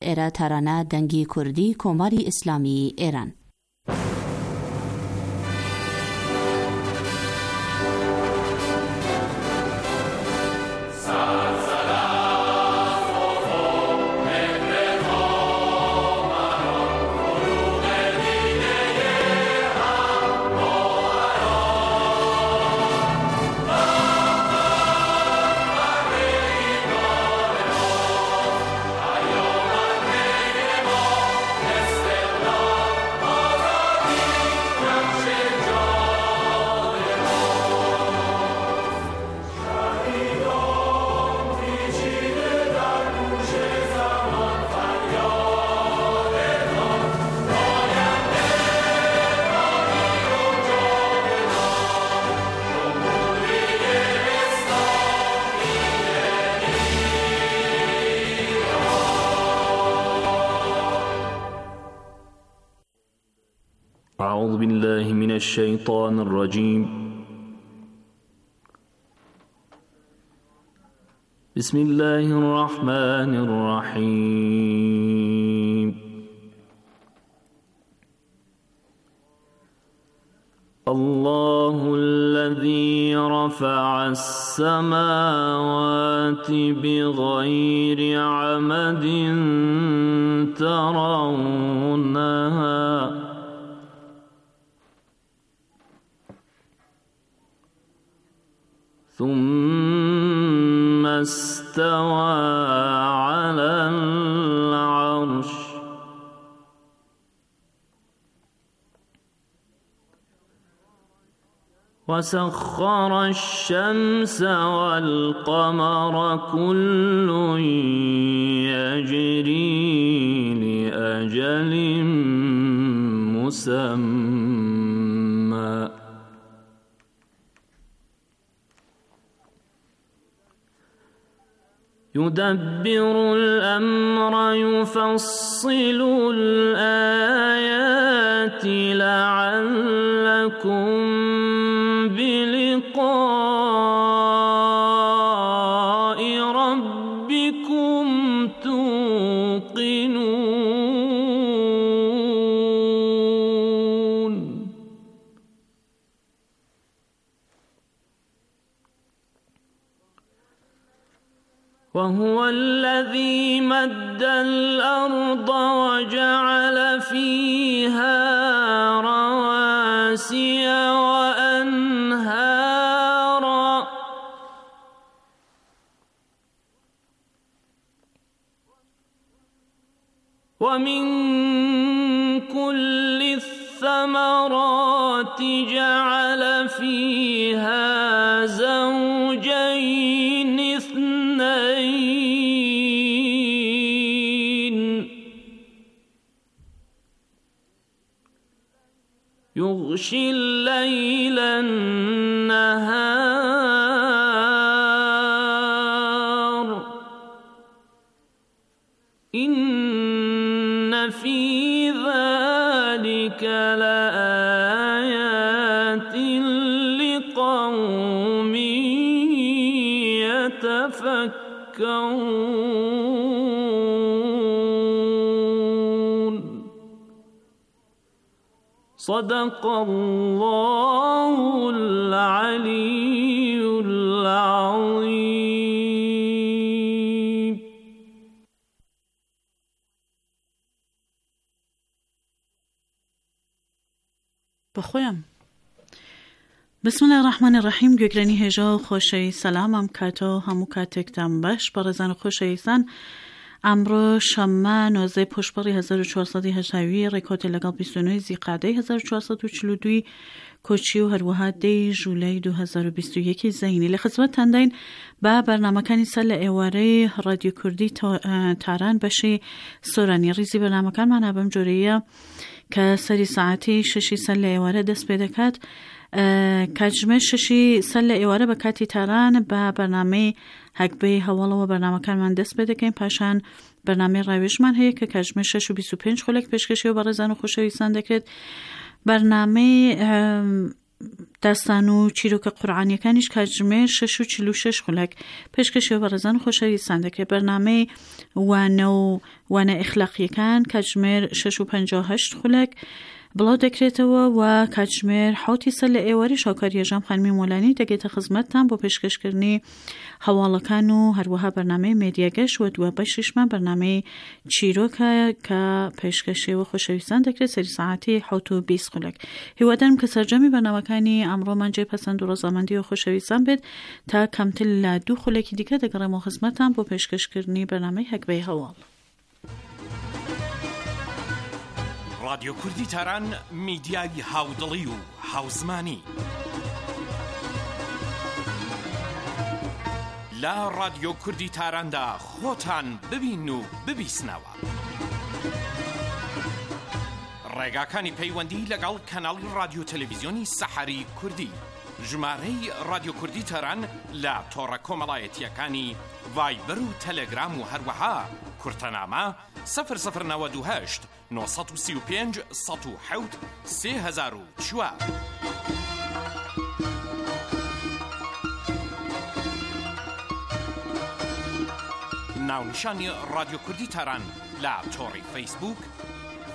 ئێرە تارانە دەنگی کوردی کۆماری ئیسلامیی ئێران. أعوذ بالله من الشيطان الرجيم بسم الله الرحمن الرحيم الله الذي رفع السماوات بغير عمد ترونها ثم استوى على العرش وسخر الشمس والقمر كل يجري لأجل مسمى يدبر الأمر يفصل الآيات لعلكم بلقاء ربكم توقنون وهو الذي مد الأرض وجعل فيها رواسي وأنهارا ومن كل الثمرات جعل فيها زوجين اثنين يغشي الليل النهار إن في ذلك لآيات لقوم يتفكرون صدق الله العلي العظيم. بەخۆیان بسم الله الرحمن الرحیم گوێگرانی هێژا و خۆشەویست سەلام ئەم کاتە و هەموو کاتێکتان باش بەڕێزان و خۆشەویستان ئەمڕۆ شەممە 19 پشپەڕی 1400 هەتاوی ڕێکۆتە لەگەڵ 29 زیقادەی 1442 کۆچی و هەروەها دەی ژولای 2021 زەینی لە خزمەتتانداین بە بەرنمەکانی سەر لە ئێوارەی ڕادیو کوردی تاران بەشی سۆرانی ڕیزی بەرنمەکانمانە بەم جۆرەیە کە سەری سەعاتی شەشی سەر لە ئێوارە دەست پێ دەکات کاتژمێر شەشی سەر لە ئێوارە بە کاتی تاران بە بەرنامەی هەگبەی هەواڵەوە بەرنمەکانمان دەست پێ دەکەین پاشان بەرنامەی ڕاوێژمان هەیە کە کاتژمێر 6 و 25 خولەک پێشکەشی و بەڕێزان و خۆشەویستان دەکرێت بەرنامەی داستان و چیرۆکە قورعانیەکانیش کاتژمێر 6:46 خولەک پێشکەشی بەڕێزان و خۆشەویستان دەکرێت. بەرنامەی وانە و وانە ئیخلاقیەکان کاتژمێر 6:58 خولەک بڵاو دەکرێتەوە و کاتژمێر حوتی سەر لە ئێوارەی شاوکار یەژام خانمی مۆلانی دەگێتە خزمەتتان بۆ پێشکەشکردنی هەواڵەکان و هەروەها بەرنامەی مێدیاگەش و دوا بەشیشمان بەرنامەی چیرۆکە کە پێشکەشێوە خۆشەویستان دەکرێت سەری ساعتی حوت و 20 خولەک. هیوادارم کە سەرجەمی بەرنامەکانی ئەمڕۆمان جێ پەسەند و ڕەزامەندی و خۆشەویستان بێت. تا کەمتر لە دوو خولەکی دیکە دەگەڕێمەوە خزمەتتان بۆ پێشکەشکردنی بەرنامەی هەگبەی هەواڵ. ڕادیۆ کوردی تاران میدیای هاودڵی و هاوزمانی. لە ڕادیۆ کوردی تاراندا خۆتان ببین و ببیسنەوە. ڕێگاکانی پەیوەندی لەگەڵ کەناڵی ڕادیۆ تەلەڤیزیۆنی سەحەری کوردی. ژمارەی ڕادیۆ کوردی تاران لە تۆڕە کۆمەڵایەتییەکانی ڤایبەر و تەلەگرام و هەروەها کورتەنامە 0098 935 107 3004. ناونیشانی ڕادیۆ کوردی تاران لە تۆڕی فەیسبووک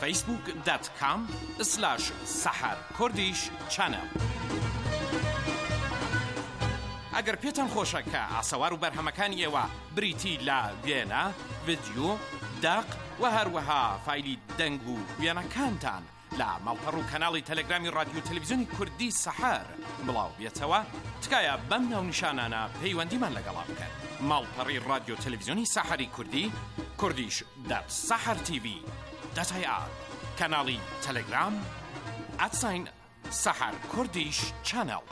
facebook.com slash سەحەر کوردیش چەنێڵ. ئەگەر پێتان خۆشە کە ئاسەوار و بەرهەمەکانی ئێوە بریتی لە وێنە، ڤیدیۆ، دەق و هەروەها فایلی دەنگ و وێنەکانتان لە ماڵپەڕ و کەناڵی تەلەگرامی ڕادیۆ تەلەڤیزیۆنی کوردی سەحەر بڵاو بێتەوە، تکایە بەم ناونیشانانە پەیوەندیمان لەگەڵا بکەن. ماڵپەڕی ڕادیۆ تەلەڤیزیۆنی سەحەری کوردی، کوردیش دات سەحەر تیڤی دات ئای ئار، کەناڵی تەلەگرام، ئەت ساین سەحەر کوردیش چەنێڵ.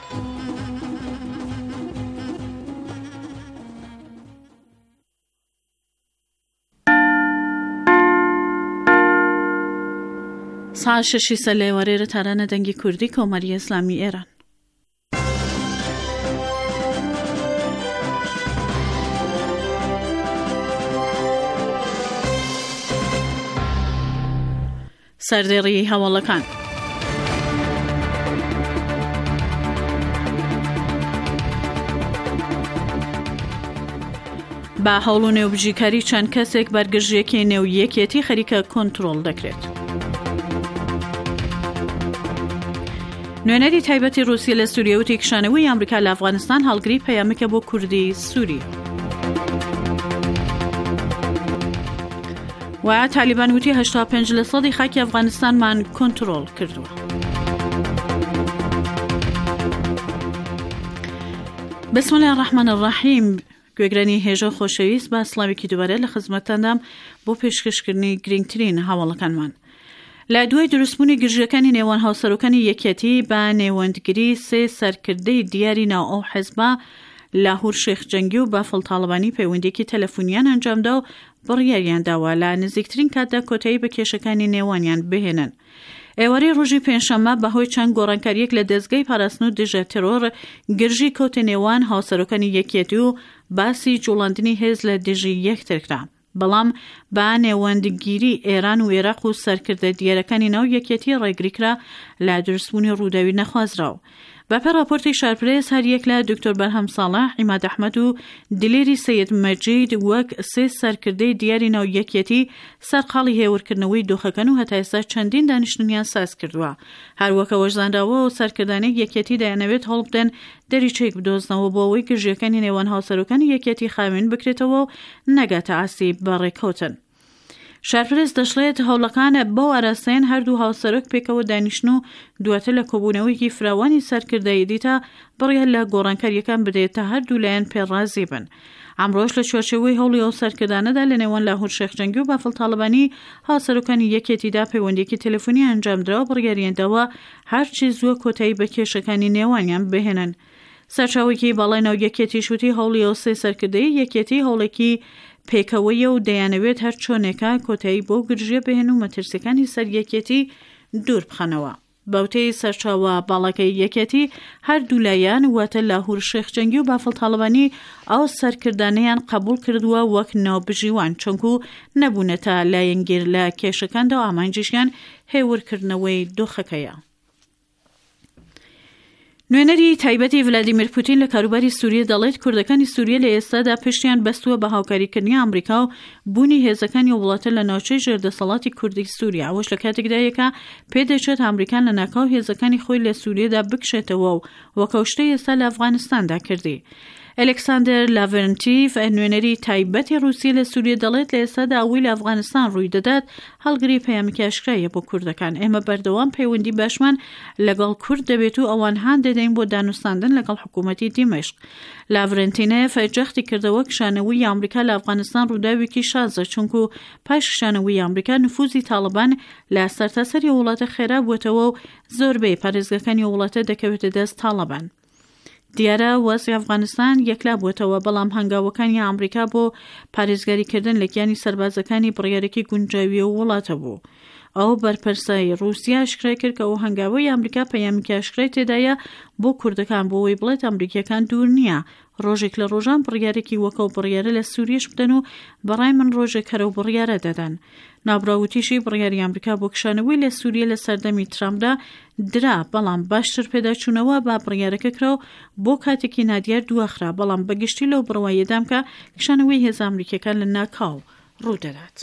ساعت شەشی سەر لە ئێوارەی لە تارانە دەنگی کوردی کۆماری ئیسلامی ئێران. سەردێڕی هەواڵەکان. بە هەوڵ و نێوبژیکاری چەند کەسێک بەرگرژیەکی نێو یەکێتی خەریکە کۆنترۆڵ دەکرێت. نوێنەری تایبەتی رووسیە لە سووریە وتی کشانەوەی ئەمریکا لە ئەفغانستان هەڵگری پەیامێکە بۆ کوردی سووری. و تالیبان وتی 85 لە سەدی خاکی ئەفغانستانمان کۆنترۆڵ کردووە. بسم الله الرحمن الرحیم گوێگرانی هێژە خۆشەویست با سڵاوێکی دووبارە لە خزمەتتاندام بۆ پێشکەشکردنی گرنگترین هەواڵەکانمان. لە دوای دروستبوونی گرژیەکانی نێوان هاوسەرۆکانی یەکیەتی بە نێوەندگری سێ سەرکردەی دیاری ناو ئەو حزبە لاهور شێخ جەنگی و بافڵ تاڵەبانی پەیوەندیەکی تەلەفونیان ئەنجامدا و بڕیاریان داوە لە نزیکترین کاتدا کۆتایی بە کێشەکانی نێوانیان بهێنن. ئێوارەی ڕۆژی پێنجشەممە بەهۆی چەند گۆڕانکارییەک لە دەزگای پاراستن و دژە تێرۆر گرژی کەوتە نێوان هاوسەرۆکانی یەکیەتی و باسی جوڵاندنی هێز لە دژی یەکتر کرا. بەڵام بە نێوەندگیری ئێران و ئێراق و سەرکردە دیارەکانی ناو یەکیەتی ڕێگری کرا لە دروستبوونی ڕووداوی نەخوازراو. بەپێ ڕاپۆرتی شارپرێس هەریەک لە دکتۆر بەرهەم ساڵح، عیماد ئەحمەد و دلێری سەید مەجید وەک سێ سەرکردەی دیاری ناو یەکیەتی سەرقاڵی هێورکردنەوەی دۆخەکەن و هەتا ئێستا چەندین دانیشتنیان ساز کردووە. هەروەک ئەوەش زانراوە ئەو سەرکردانەی یەکیەتی دەیانەوێت هەوڵبدەن دەریچەیەک بدۆزنەوە بۆ ئەوەی گرژییەکانی نێوان هاوسەرۆکانی یەکیەتی خاوێن بکرێتەوە و نەگاتە ئاستی بەڕێکەوتن. شارپرێس دەشڵێت، هەوڵەکان بەو ئاراستەیەن هەردوو هاوسەرۆک پێکەوە دانیشن و دواتر لە کۆبوونەوەیەکی فراوانی سەرکردایەتیدا بڕیار لە گۆڕانکارییەکان بدرێت تا هەردوو لایەن پێ ڕازی بن. ئەمڕۆش لە چوارچێوەی هەوڵی ئەو سەرکردانەدا لە نێوان لاهور شێخ جەنگی و بافڵ تاڵەبانی هاوسەرۆکانی یەکێتیدا پەیوەندییەکی تەلەفۆنی ئەنجامدرا و بڕیاریان داوە هەرچی زووە کۆتایی بە کێشەکانی نێوانیان بهێنن. سەرچاوەیەکی باڵای ناو یەکێتیش وتی هەوڵی ئەو سێ سەرکردەیەی یەکێتی هەوڵێکی پێکەوەیە و دەیانەوێت هەر چۆنێکە کۆتایی بەو گرژییە بهێن و مەترسیەکانی سەر یەکێتی دوور بخەنەوە. بەوتەی سەرچاوە باڵاکەی یەکێتی هەردوولایان واتە لاهور شێخ جەنگی و بافڵ تاڵەبانی ئەو سەرکردانەیان قبوڵ کردووە وەک ناوبژیوان چونکو نەبوونەتە لایەنگیر لە کێشەکاندا و ئامانجیشیان هێورکردنەوەی دۆخەکەیە. نوێنەری تایبەتی ڤلادیمیر پوتین لە کاروباری سوریە دەڵێت کوردەکانی سوریە لە ئێستادا پشتیان بەستووە بە هاوکاریکردنی ئامریکا و بوونی هێزەکانی ئەو وڵاتە لە ناوچەی ژێر دەسەڵاتی کوردی سوریە ئەوەش لە کاتێکدایە کە پێدەچێت ئامریکا لەناکاو هێزەکانی خۆی لە سوریەدا بکشێتەوە و وەک ئەو شتەی ئێستا لە ئەفغانستاندا کردی. ئەلێکساندەر لاڤرنتیڤ، نوێنەری تایبەتی ڕووسیە لە سوریە دەڵێت لە ئێستادا ئەوەی لە ئەفغانستان ڕووی دەدات هەڵگری پەیامێکی ئاشکرایە بۆ کوردەکان. ئێمە بەردەوام پەیوەندی باشمان لەگەڵ کورد دەبێت و ئەوان هان دەدەین بۆ دانوستاندن لەگەڵ حکوومەتی دیمەشق. لاڤرنتینێف جەختی کردەوە کشانەوەی ئامریکا لە ئەفغانستان ڕووداوێکی شازە چونکو پاش کشانەوەی ئامریکا نفوزی تاڵبان لە سەرتاسەری ئەو وڵاتە خێرا بووەتەوە و زۆربەی پارێزگاکانی ئەو وڵاتە دەکەوێتە دەست تاڵبان. دیارە وەزعی ئەفغانستان یەکلا بووەتەوە، بەڵام هەنگاوەکانی ئامریکا بۆ پارێزگاریکردن لە گیانی سەربازەکانی بڕیارێکی گونجاوی ئەو وڵاتە بوو. ئەو بەرپرسەی ڕووسیا ئاشکرای کرد کە ئەو هەنگاوەی ئامریکا پەیامێکی ئاشکرای تێدایە بۆ کوردەکان بۆ ئەوەی بڵێت ئەمریکییەکان دوور نییە ڕۆژێک لە ڕۆژان بڕیارێکی وەک ئەو بڕیارە لە سووریەش بدەن و بەڕای من ڕۆژێک هەر ئەو بڕیارە دەدەن. ناوبراو وتیشی، بڕیاری ئەمریکا بۆ کشانەوەی لە سووریە لە سەردەمی ترامپدا درا، بەڵام باشتر پێداچوونەوە بە بڕیارەکە کرا و بۆ کاتێکی نادیار دواخرا، بەڵام بە گشتی لەو بڕوایەدام کە کشانەوەی هێزە ئەمریکییەکان لە ناکاو ڕوودەدات.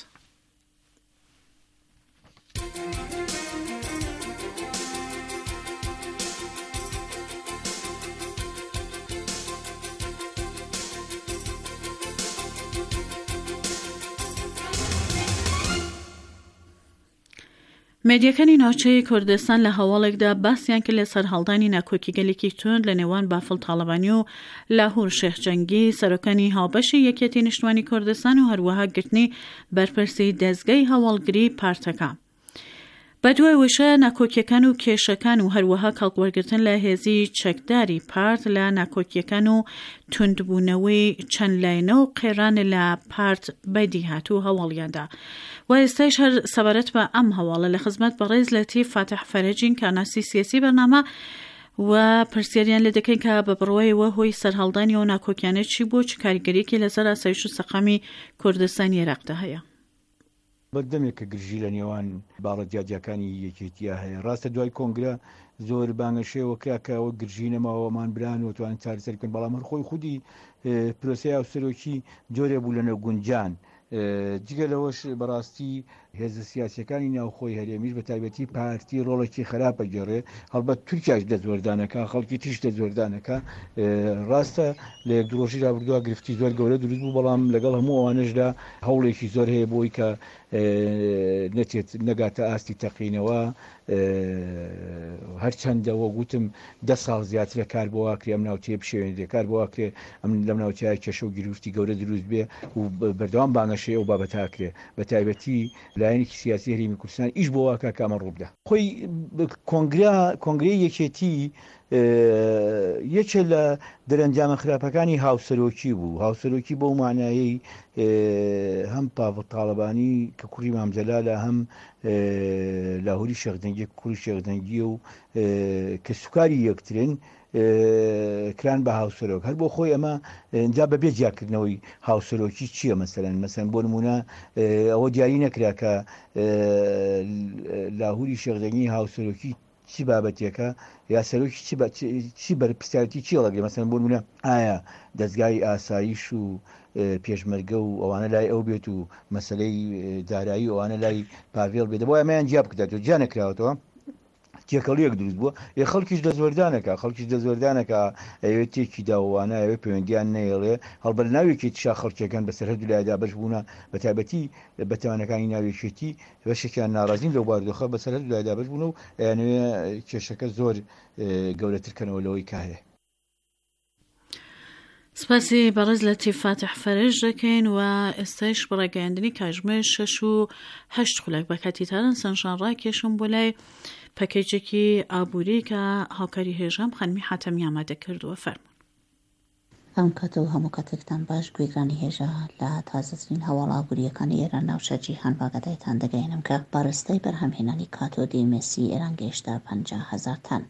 مێدیاکانی ناوچەی کوردستان لە هەواڵێکدا باسیان کرد لە سەرهەڵدانی ناکۆکیگەلێکی توند لە نێوان بافڵ تاڵەبانی و لاهور شێخ جەنگی سەرۆکانی هاوبەشی یەکێتی نیشتمانی کوردستان و هەروەها گرتنی بەرپرسی دەزگای هەواڵگری پارتەکە. بەدوای وشە ناکۆکیەکان و کێشەکان و هەروەها کەڵکوەرگرتن لە هێزی چەکداری پارت لە ناکۆکیەکان و توندبوونەوەی چەند لایەنە و قەیران لە پارت بەدی هات و هەواڵیاندا و ئێستایش هەر سەبارەت بە ئەم هەواڵە لە خزمەت بەڕێز لەتیف فاتح فەرەجین کارناسی سیاسی بەرنامە و پرسیاریان لێ دەکەین کە بە بڕوایەوە هۆی سەرهەڵدانی ئەو ناکۆکیانە چی بوو چ کاریگەریەکی لەسەر ئاسایش و سەقامی کوردستانی عێراقدا هەیە؟ بەردەمێکە گرژی لە نێوان باڵە جیاجیاکانی یەکێتییا هەیە. ڕاستە دوای کۆنگرە زۆر بانگەشەیەوە کرا کە ئەوە گرژی نەماوە ئەمان بران و توانن چارەسەری بکەن، بەڵام هەر خۆی خودی پرۆسەی هاوسەرۆکی جۆرێ بوو لە نەگونجان. جگە لەوەش بەڕاستی هێزە سیاسیەکانی ناوخۆی هەرێمیش بە تایبەتی پارتی ڕۆڵێکی خراپ ئەگێڕێ، هەڵبەت تورکیاش دەستوەردانەکا، خەڵکی تریش دەستوەردانەکا. ڕاستە لە یەک دوو ڕۆژی رابردووە گرفتی زۆر گەورە دروست بوو، بەڵام لەگەڵ هەموو ئەوانەشدا هەوڵێکی زۆر هەیە بۆی کە نەچێت نەگاتە ئاستی تەقینەوە. هەرچەندە وەک وتم دە ساڵ زیاترە کار بۆ واکرێ ئەم ناوچەیە بشێوێنرێ، کار بۆ واکرێ ئەم لەم ناوچەیە کێشە و گیروفتی گەورە دروست بێ و بەردەوام بانگەشەی ئەو بابەتە ئەکرێ. بە تایبەتی لایەنێکی سیاسی هەرێمی کوردستان ئیش بۆ واکا کە ئەمە ڕووبدا. خۆی کۆنگرە کۆنگرەی یەکێتی یەکێ لە دەرەنجامە خراپەکانی هاوسەرۆکی بوو، هاوسەرۆکی بەو مانایەی هەم پاڤڵ تاڵەبانی کە کوڕی مام جەلالە هەم لاهوری شێخ جەنگی کە کوڕی شێخ جەنگیە و کەسوکاری یەکترن کران بە هاوسەرۆک هەر بۆ خۆی ئەمە جا بە بێ جیاکردنەوەی هاوسەرۆکی چییە مەسەرەن مەسەن بۆ نمونە ئەوە دیاری نەکرا کە لاهوری شێخجەنگی هاوسەرۆکی چی بابەتێکە یا سەرۆکی چی بەرپرسیارەتی چی هەڵەگرێ مەسەن بۆ نمونە ئایا دەستگای ئاسایش و پێشمەرگە و ئەوانە لای ئەو بێت و مەسلەی دارایی ئەوانە لای پاڤێڵ بێت بۆ ئەمەیان جیا بکرێتەوە جیا نەکراوەتەوە تێکەڵیەک دروست بووە ئێ خەڵکیش دەستوەردانەکە خەڵکیش دەستوەردانەکە ئەوێت تێکی داوانە ئەوێ پەیوەندیان نەیەڵێ هەڵبەت ناو یەکێتیشا خەڵکیەکان بەسەر هەردوو لایدا بەش بوونە بە تایبەتی بە تەمەنەکانی ناو یەکێتی بەشێکیان ناڕازین لەو بارودۆخە بەسەر هەردوو لایدا بەش بوون و ئەیانەوێ کێشەکە زۆر گەورەتر کەنەوە لەوەی کە هەیە. سپاسی بەڕێز لەتیف فاتح فەرەج دەکەین و ئێستایش بە ڕاگەیاندنی کاژمێر شەش و هەشت خولەک بە کاتی تاران سەنجان ڕاکێشم بۆ لای پەکێجێکی ئابووری کە هاوکاری هێژام خانمی حاتەمی ئامادە کردووە فەرموون. ئەم کاتە و هەموو کاتێکتان باش گوێگرانی هێژا لە تازەترین هەواڵە ئابوورییەکانی ئێران ناوچە جیهان بە ئاگادایتان دەگەیەنم کە بارستەی بەرهەمهێنانی کاتۆدی مسی ئێران گەیشتە 50,000 تەن.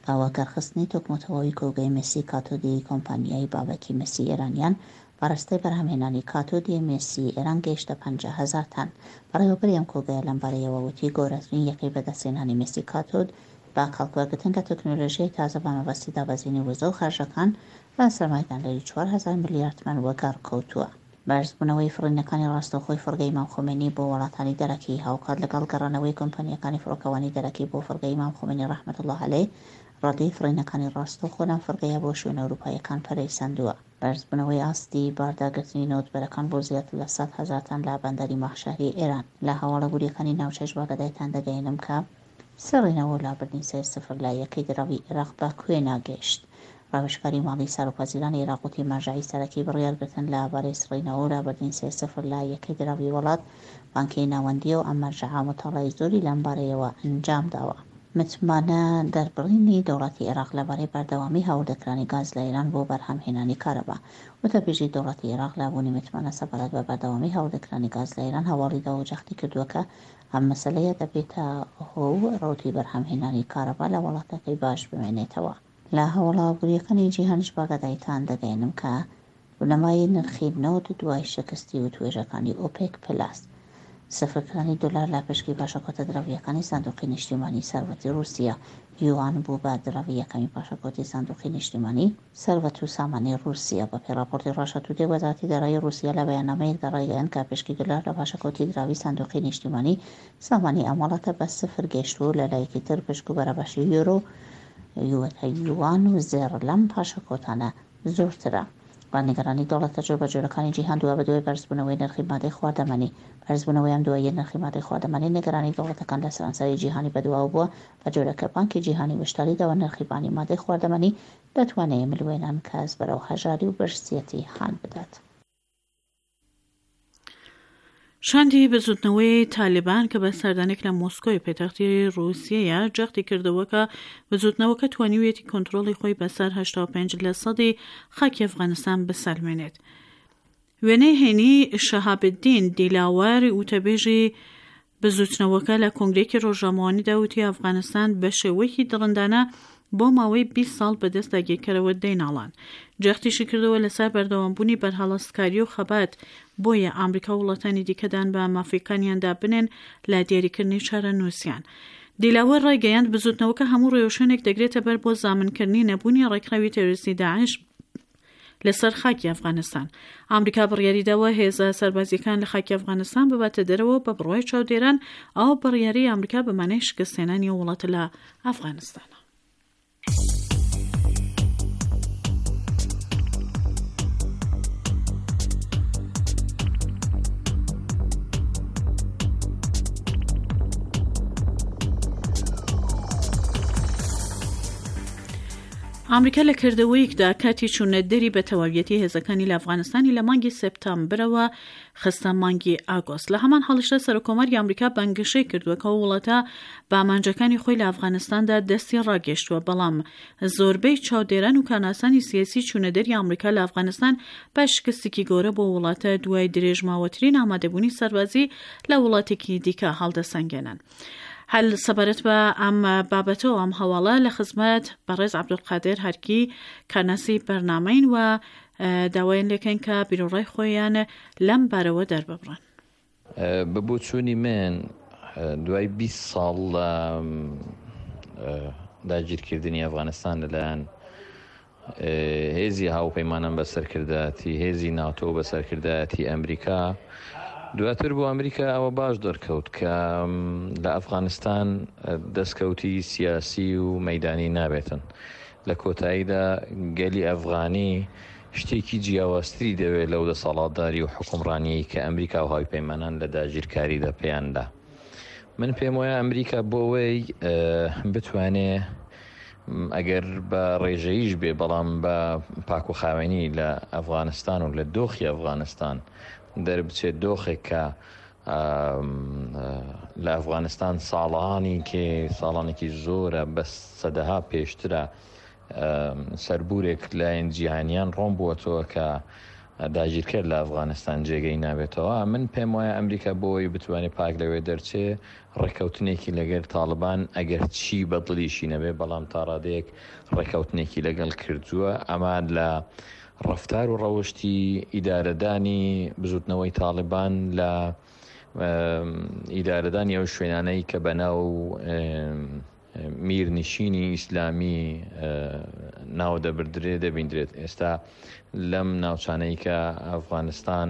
بە وەگەڕخستنی تۆکمەتەواوی کۆگای مسی کاتۆدی کۆمپانیای بابەکی مسی ئێرانیان، بارستەی بەرهەمهێنانی کاتۆدی مسی ئێران گەیشتە 50,000 تەن. بەڕێوەبەری ئەم کۆگایە لەمبارەیەوە وتی، گەورەترین یەکەی بەدەستهێنانی مسی کاتۆد بە کەڵکوەرگرتن لە تەکنۆلۆژیای تازە بە مەبەستی دابەزینی وزە و خەرجەکان بە سەرمایەدانەری 4000 ملیارد تمەن وەگەڕ کەوتووە. بەرزبوونەوەی فڕینەکانی ڕاستەوخۆی فڕگەی ئیمام خومەینی بۆ وڵاتانی دەرەکی، هاوکات لەگەڵ گەڕانەوەی کۆمپانیاکانی فڕۆکەوانی دەرەکی بۆ فڕگەی ئیمام خومەینی ڕەحمەت اللە علیه، ڕادەی فڕینەکانی ڕاستەوخۆ لەم فڕگەیە بۆ شوێنە ئەوروپاییەکان پەرەی سەندووە. بەرزبوونەوەی ئاستی بارداگرتنی نەوتبەرەکان بۆ زیاتر لە 100,000 تەن لە بەندەری ماهشەهری ئێران. لە هەواڵە وریەکانی ناوچەش باگەدایتان دەگەیەنم کە سڕینەوە و لابردنی سێ سفر لە یەکەی دراوی ئێراق بە کوێ ناگەیشت. ڕاوێژکاری ماڵی سەرۆکوەزیرانی ئێراق وتی مەرجەعی سەرەکی بڕیارگرتن لە بارەی سڕینەوە و لابردنی سێ سفر لە یەکەی دراوی وڵات بانکی ناوەندییە و ئەم مەرجەعە موتاڵای زۆری لەم بارەیەوە ئەنجام داوە. متمانە دەربڕینی دەوڵەتی ئێراق لەبارەی بەردەوامی هاوردەکرانی گاز لە ئێران بۆ بەرهەمهێنانی کارەبا. وتەبێژی دەوڵەتی ئێراق لە بوونی متمانە سەبارەت بە بەردەوامی هاوردەکرانی گاز لە ئێران هەواڵی داوە و جەختی کردووە کە ئەم مەسەلەیە دەبێتە هۆ و ڕەوتی بەرهەمهێنانی کارەبا لە وڵاتەکەی باش بمێنێتەوە. لە هەواڵە ئابوورییەکانی جیهانیش باگەدایتان دەگەیەنم کە بنەمای نرخی نەوت دوای شکستی وتوێژەکانی ئۆپێک پلاس، سفرکرانی دۆلار لە پشکی پاشەکەوتە دراوییەکانی سندوقی نیشتیمانی سەروەتی ڕووسیە، یوان بوو بە دراوی یەکەمی پاشەکەوتی سندوقی نیشتیمانی سەروەت و سامانی ڕووسیە. بەپێی ڕاپۆرتی ڕاشا تودەی، وەزارەتی دارایی ڕووسیە لە بەیاننامەیەکدا ڕایگەیاند کە پشکی دۆلار لە پاشەکەوتی دراوی سندوقی نیشتیمانی سامانی ئەم وڵاتە بە سفر گەیشتووە و لە لایەکی تر پشک و بەرابەشی یۆرۆ و یوان و زێڕ لەم پاشەکەوتانە زۆرترە. و نیگەرانی دەوڵەتە جۆربەجۆرەکانی جیهان دوابەدوای بەرزبوونەوەی نرخی مادەی خواردەمەنی. بەرزبوونەوەی ئەم دواییە نرخی مادەی خواردەمەنی نیگەرانی دەوڵەتەکان لە سەرانسەری جیهانی بەدواوە بووە، بە جۆرێک کە بانکی جیهانی وشداری داوە نرخی بانی مادەی خواردەمەنی دەتوانێ ملوێنان کەس بەرەو هەژاری و برسیەتی هان بدات. شاندی بزوتنەوەی تالیبان کە بە سەردانێک لە مۆسکۆی پێتەختی ڕووسیەیە جەختی کردەوە کە بزوتنەوەکە توانیویەتی کۆنترۆڵی خۆی بەسەر 85 لە سەدی خاکی ئەفغانستان بسەلمێنێت. وێنەی هەینی شەهابدین دیلاوەر وتەبێژی بزووتنەوەکە لە کۆنگرەیەکی ڕۆژنامەوانیدا وتی ئەفغانستان بە شێوەیەکی دڕندانە بۆ ماوەی 20 ساڵ بەدەست داگیرکەرەوە دەیناڵاند. جەختیشی کردەوە لەسەر بەردەوامبوونی بەرهەڵستکاری و خەبات، بۆیە ئامریکا و وڵاتانی دیکە دان بە مافەکانیاندا بنێن لە دیاریکردنی چارەنووسیان. دیلاوەر ڕایگەیاند بزووتنەوەکە هەموو ڕێوشوێنێک دەگرێتە بەر بۆ زامنکردنی نەبوونی ڕێکخراوی تێرۆریستی داعش، لەسەر خاکی ئەفغانستان. ئامریکا بڕیاری داوە هێزە سەربازییەکان لە خاکی ئەفغانستان بباتە دەرەوە و بە بڕوای چاودێران ئەو بڕیارەی ئامریکا بە مانای شکستهێنانی ئەو وڵاتە لە ئەفغانستانە. ئامریکا لە کردەوەیەکدا کاتی چوونە دەری بە تەواویەتی هێزەکانی لە ئەفغانستانی لە مانگی سێپتامبرەوە خستە مانگی ئاگۆست. لە هەمان حاڵیشدا سەرۆککۆماری ئامریکا بانگەشەی کردووە کە ئەو وڵاتە بە ئامانجەکانی خۆی لە ئەفغانستاندا دەستی ڕاگەیشتووە، بەڵام زۆربەی چاودێران و کارناسانی سیاسی چوونە دەری ئامریکا لە ئەفغانستان بە شکستێکی گەورە بۆ وڵاتە دوای درێژماوەترین ئامادەبوونی سەربازی لە وڵاتێکی دیکە هەڵدەسەنگێنن. هەر سەبارەت بە ئەم بابەتە و ئەم هەواڵە لە خزمەت بەڕێز عەبدولقادر هەرکی کارناسی بەرنامەین و داوایان لێکەین کە بیروڕای خۆیان لەم بارەوە دەرببڕن. بە بۆچوونی من دوای 20 ساڵ لە داگیرکردنی ئەفغانستان لەلایەن هێزی هاوپەیمانان بە سەرکردایەتی هێزی ناتۆ بە سەرکردایەتی ئەمریکا دواتر بۆ ئەمریکا ئەوە باش دەرکەوت کە لە ئەفغانستان دەستکەوتی سیاسی و مەدانی نابێتن لە کۆتاییدا گەلی ئەفغانی شتێکی جیاوازتری دەوێت لەو دەسەڵاتداری و حکومڕانیی کە ئەمریکا و هاوپەیمانان لە داگیرکاریدا پێیاندا من پێم وایە ئەمریکا بۆ ئەوەی بتوانێ ئەگەر بە ڕێژەییش بێ بەڵام بە پاک و خاوێنی لە ئەفغانستان و لە دۆخی ئەفغانستان دەربچێت دۆخێک کە لە ئەفغانستان ساڵانی کێ ساڵانێکی زۆرە بە سەدەها پێشترە سەربورێک لایەن جیهانیان ڕۆن بووەتەوە کە داگیرکەر لە ئەفغانستان جێگەی نابێتەوە من پێم وایە ئەمریکا بۆی بتوانێت پاک لەوێ دەرچێ ڕێککەوتنێکی لەگەر تاڵبان ئەگەر چی بەدڵیشی نەبێ بەڵام تاڕادەیەک ڕێککەوتنێکی لەگەڵ کردووە ئەمە لە ڕفتار و ڕەوشتی ئیدارەدانی بزوتنەوەی تاڵبان لە ئیدارەدانی ئەو شوێنانەی کە بەناو. میرنشینی ئیسلامی ناو دەبردرێ دەبیندرێت ئێستا لەم ناوچانەی کە ئەفغانستان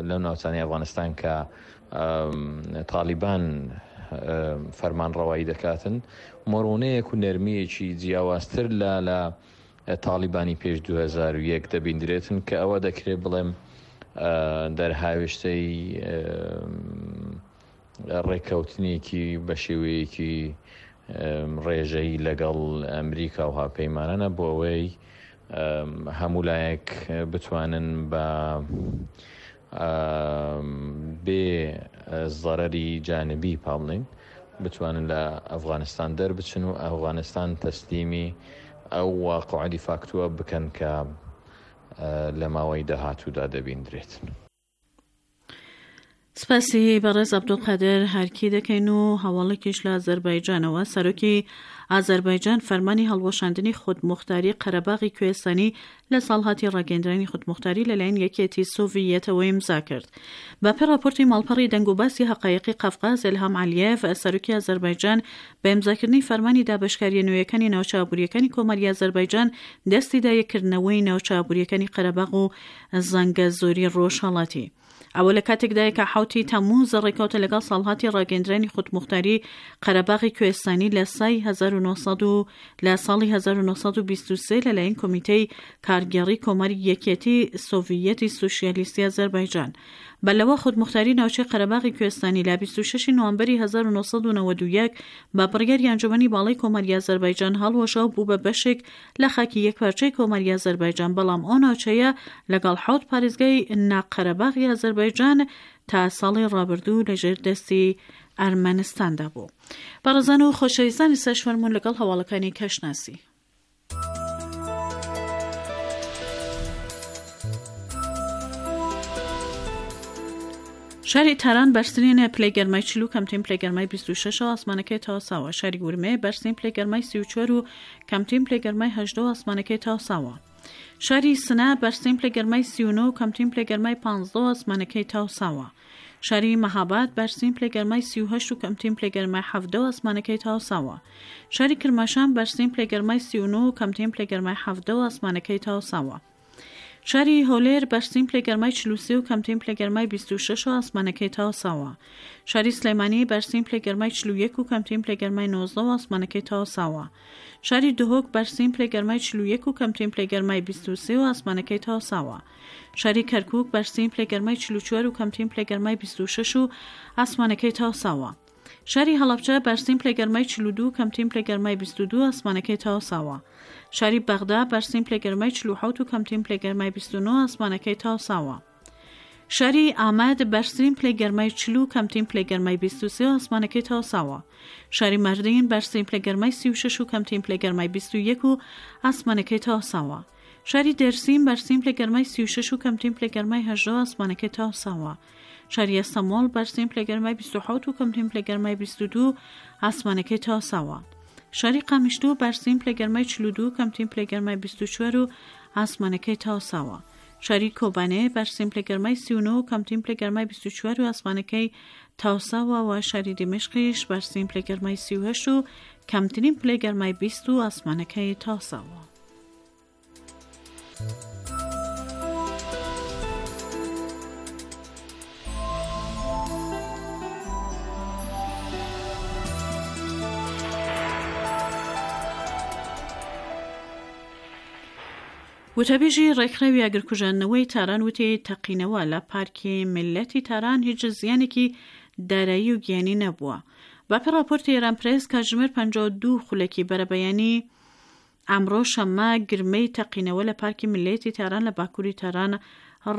لەم ناوچانەی ئەفغانستان کە تالیبان فەرمانڕەوایی دەکاتن مۆرونەیەک و نەرمییەکی جیاوازتر لە لە تاڵیبانی پێش 2001 دەبیندرێتن کە ئەوە دەکرێت بڵێم دەرهاوێشتەی ڕێککەوتنێکی بە شێوەیەکی ڕێژەیی لەگەڵ ئەمریکا و هاوپەیمانانە بۆ ئەوەی هەموو لایەک بتوانن بە بێ زەرەری جانبی پا بڵێین بتوانن لە ئەفغانستان دەربچن و ئەفغانستان تەسلیمی ئەو واقعە دیفاکتوە بکەن کە لە ماوەی داهاتوودا دەبیندرێت. سپاسی بەڕێز عەبدولقادر هەرکی دەکەین و هەواڵێکیش لە ئازەربایجانەوە، سەرۆکی ئازەربایجان فەرمانی هەڵوەشاندنی خودموختاری قەرەباغی کوێستانی لە ساڵهاتی ڕاگەیندرانی خودموختاری لەلایەن یەکێتی سۆڤییەتەوە ئیمزا کرد. بەپێ ڕاپۆرتی ماڵپەڕی دەنگوباسی هەقایقی قەفقاز، ئیلهام عەلیێڤ، سەرۆکی ئازەربایجان بە ئیمزاکردنی فەرمانی دابەشکارییە نوێیەکانی ناوچە ئابوورییەکانی کۆماری ئازەربایجان دەستی دایە کردنەوەی ناوچە ئابوورییەکانی قەرەباغ و زەنگەزۆری ڕۆژهەڵاتی. ئەوە لە کاتێکدایە کە حەوتی تەمموز ڕێکەوتە لەگەڵ ساڵهاتی ڕاگەیندرانی خودموختاری قەرەباغی کوێستانی لە سای 1900 و لە ساڵی 1923 لەلایەن کۆمیتەی کارگێڕی کۆماری یەکێتی سۆڤیەتی سوسیالیستی ئازەربایجان بە لەوە خودموختاری ناوچەی قەرەباغی کوێستانی لە 26 نوامبەری 1991 بە بڕیاری ئەنجومەنی باڵای کۆماری ئازەربایجان هەڵوەشا و بوو بە بەشێک لە خاکی یەکپارچەی کۆماری ئازەربایجان، بەڵام ئەو ناوچەیە لەگەڵ حەوت پارێزگای نا-قەرەباغی ئازەربایجان تا ساڵی ڕابردوو لەژێر دەستی ئەرمەنستاندا بوو. بەڕێزان و خۆشەویستان ئێستاش فەرموون لەگەڵ هەواڵەکانی کەشناسی. شاری تاران بەرزترین پلەی گەرمای 40 و کەمترین پلەی گەرمای 26 و ئاسمانەکەی تاساوە. شاری ورمێ بەرزترین پلەی گەرمای 34 و کەمترین پلەی گەرمای 18 و ئاسمانەکەی تاساوە. شاری سنە بەرزترین پلەی گەرمای 39 و کەمترین پلەی گەرمای 15 و ئاسمانەکەی تاساوە. شاری مەهاباد بەرزترین پلەی گەرمای 38 و کەمترین پلەی گەرمای 17 و ئاسمانەکەی تاساوە. شاری کرماشان بەرزترین پلەی گەرمای 39 و کەمترین پلەی گەرمای 17 و ئاسمانەکەی تاساوە. شاری هەولێر بەرزترین پلەی گەرمای 43 و کەمترین پلەی گەرمای 26 و ئاسمانەکەی تاساوە. شاری سلێمانی بەرزترین پلەی گەرمای 41 و کەمترین پلەی گەرمای 19 و ئاسمانەکەی تاساوە. شاری دهۆک بەرزترین پلەی گەرمای 41 و کەمترین پلەی گەرمای 23 و ئاسمانەکەی تاساوە. شاری کەرکوک بەرزترین پلەی گەرمای 44 و کەمترین پلەی گەرمای 26 و ئاسمانەکەی تاساوە. شاری هەڵەبجە بەرزترین پلەی گەرمای 42 و کەمترین پلەی گەرمای 22 ئاسمانەکەی تاساوە. شاری بەغدا بەرزترین پلەی گەرمای 47 و کەمترین پلەی گەرمای 29 ئاسمانەکەی تاساوە. شاری ئامەد بەرزترین پلەی گەرمای 40 و کەمترین پلەی گەرمای 23 و ئاسمانەکەی تاساوە. شاری ماردین بەرزترین پلەی گەرمای 36 و کەمترین پلەی گەرمای 21 و ئاسمانەکەی تاساوە. شاری دێرسیم بەرزترین پلەی گەرمای 36 و کەمترین پلەی گەرمای 18 و ئاسمانەکەی تاساوە. شاری ئەستەمۆڵ بەرزترین پلەی گەرمای 27 و کەمترین پلەی گەرمای 22 ئاسمانەکەی تاساوە. شاری قامیشلو بەرزترین پلەی گەرمای 42 و کەمترین پلەی گەرمای 24 و ئاسمانەکەی تاساوە. شاری کۆبانێ بەرزترین پلەی گەرمای 39 و کەمترین پلەی گەرمای 24 و ئاسمانەکەی تاساوە و شاری دیمەشقیش بەرزترین پلەی گەرمای 38 و کەمترین پلەی گەرمای 20 و ئاسمانەکەی تاساوە. وتەبێژی ڕێکخراوی ئاگرکوژاندنەوەی تاران وتی، تەقینەوە لە پارکی میللەتی تاران هیچ زیانێکی دارایی و گیانی نەبووە. بەپێ ڕاپۆرتی ئێران پرێس، کاتژمێر 52 خولەکی بەرەبەیانی ئەمڕۆ شەممە گرمەی تەقینەوە لە پارکی میللەتی تاران لە باکووری تاران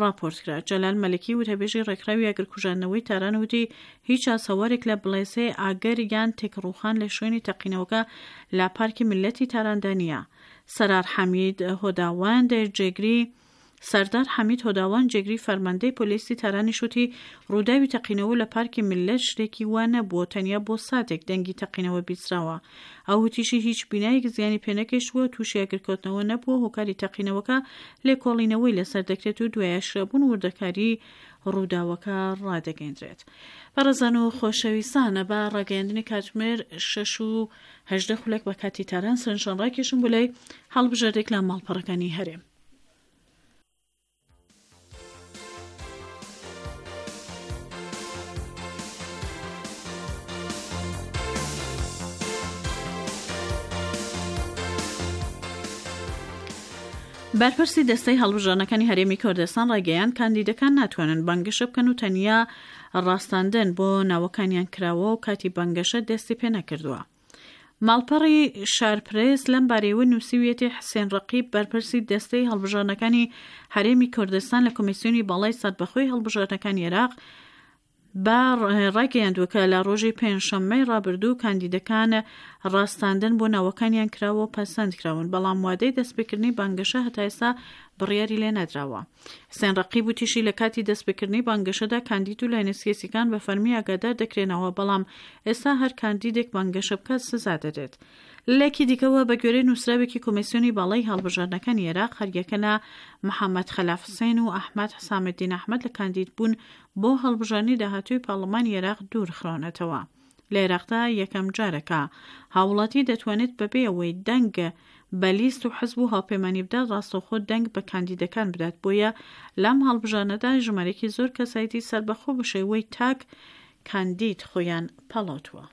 ڕاپۆرت کرا. جەلال مەلکی وتەبێژی ڕێکخراوی ئاگرکوژاندنەوەی تاران وتی، هیچ ئاسەوارێک لە بڵێسەی ئاگر یان تێکڕووخان لە شوێنی تەقینەوەکە لە پارکی میللەتی تاراندا نییە. سەرار حەمید هۆداوەند جێگری سەردار حەمید هۆداوەند جێگری فەرماندەی پۆلیسی تارانیش وتی، ڕووداوی تەقینەوە لە پارکی میللەت شتێکی وا نەبووە، تەنیا بۆ ساتێک دەنگی تەقینەوە بیستراوە. ئەو وتیشی، هیچ بینایەک زیانی پێنەگەیشتووە و تووشی ئاگرکەوتنەوە نەبووە، هۆکاری تەقینەوەکە لێکۆڵینەوەی لەسەر دەکرێت و دوای ئاشکرابوون وردەکاری. ڕووداوەکە ڕادەگەیندرێت. بەڕێزان و خۆشەویستان بە ڕاگەیاندنی کاتژمێر 6 و 18 خولەک بە کاتی تاران سەرنجتان ڕاکێشم بۆ لای هەڵبژاردێک لە ماڵپەڕەکانی هەرێم. بەرپرسی دەستەی هەڵبژاردنەکانی هەرێمی کوردستان ڕایگەیاند، کاندیدەکان ناتوانن بانگەشە بکەن و تەنیا ڕاستاندن بۆ ناوەکانیان کراوە و کاتی بانگەشە دەستی پێ نەکردووە. ماڵپەڕی شارپرێس لەم بارەیەوە نووسیویەتی حسێن ڕەقیب بەرپرسی دەستەی هەڵبژاردنەکانی هەرێمی کوردستان لە کۆمیسیۆنی باڵای سەربەخۆی هەڵبژاردنەکانی عێراق بە ڕایگەیاندووە کە لە ڕۆژی پێنجشەممەی ڕابردوو کاندیدەکان ڕاستاندن بۆ ناوەکانیان کراوە و پەسەند کراون، بەڵام وادەی دەستپێکردنی بانگەشە هەتا ئێستا بڕیاری لێ نەدراوە. حسێن ڕەقیب وتیشی لە کاتی دەستپێکردنی بانگەشەدا کاندید و لایەنە سیاسیەکان بە فەرمی ئاگادار دەکرێنەوە، بەڵام ئێستا هەر کاندیدێک بانگەشە بکات سزا دەدرێت. لەلایەکی دیکەوە بە گوێرەی نووسراوێکی کۆمیسیۆنی باڵای هەڵبژاردنەکانی عێراق هەریەکە لە محەمەد خەلاف حسێن و ئەحمەد حسامەدین ئەحمەد لە کاندیدبوون بۆ هەڵبژاردنی داهاتووی پەڕڵەمانی عێراق دوورخراونەتەوە. لە عێراقدا یەکەم جارە کە هاووڵاتی دەتوانێت بەبێ ئەوەی دەنگ بە لیست و حزب و هاوپەیمانی بدات ڕاستەوخۆ دەنگ بە کاندیدەکان بدات، بۆیە لەم هەڵبژاردنەدا ژمارەیەکی زۆر کەسایەتی سەربەخۆ بە شێوەی تاک کاندید خۆیان پاڵاوتووە.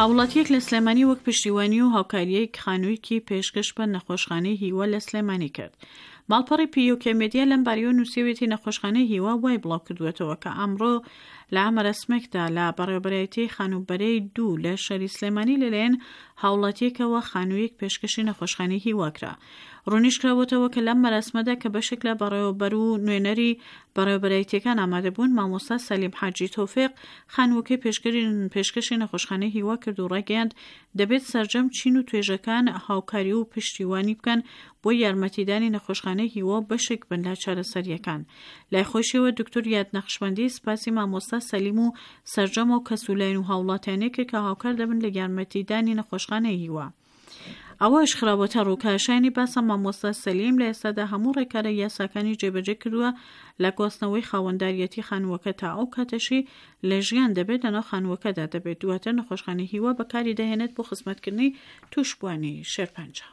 هاوڵاتییەک لە سلێمانی وەک پشتیوانی و هاوکارییەک خانوویەکی پێشکەش بە نەخۆشخانەی هیوا لە سلێمانی کرد. ماڵپەڕی PUK Media لەم بارەیەوە نووسیویەتی نەخۆشخانەی هیوا وای بڵاوکردووەتەوە کە ئەمڕۆ لە مەراسمێکدا لە بەڕێوەبەرایەتیی خانووبەرەی دوو لە شاری سلێمانی لەلایەن هاوڵاتییەکەوە خانوویەک پێشکەشی نەخۆشخانەی هیوا کرا. ڕوونیشکراوەتەوە کە لەم مەراسمەدا کە بەشێک لە بەڕێوەبەر و نوێنەری بەڕێوەبەرایەتییەکان ئامادەبوون، مامۆستا سەلیم حاجی تۆفیق خانووەکەی پێشکەشی نەخۆشخانەی هیوا کرد و ڕایگەیاند، دەبێت سەرجەم چین و توێژەکان هاوکاری و پشتیوانی بکەن بۆ یارمەتیدانی نەخۆشخانەی هیوا و بەشێک بن لە چارەسەرییەکان. لای خۆیشیەوە دکتۆر یاد نەقشبەندی سپاسی مامۆستا سەلیم و سەرجەم ئەو کەس و لایەن و هاوڵاتیانەی کرد کە هاوکار دەبن لە یارمەتیدانی نەخۆشخانەی هیوا. ئەوەش خراوەتەڕوو کە شایانی باسە مامۆستا سەلیم لە ئێستادا هەموو ڕێکارە یاساکانی جێبەجێ کردووە لە گواستنەوەی خاوەنداریەتی خانووەکە تا ئەو کاتەشی لە ژیان دەبێت لەناو خانووەکەدا دەبێت دواتر نەخۆشخانەی هیوا بەکاری دەهێنێت بۆ خزمەتکردنی تووشبووانی شێرپەنجە.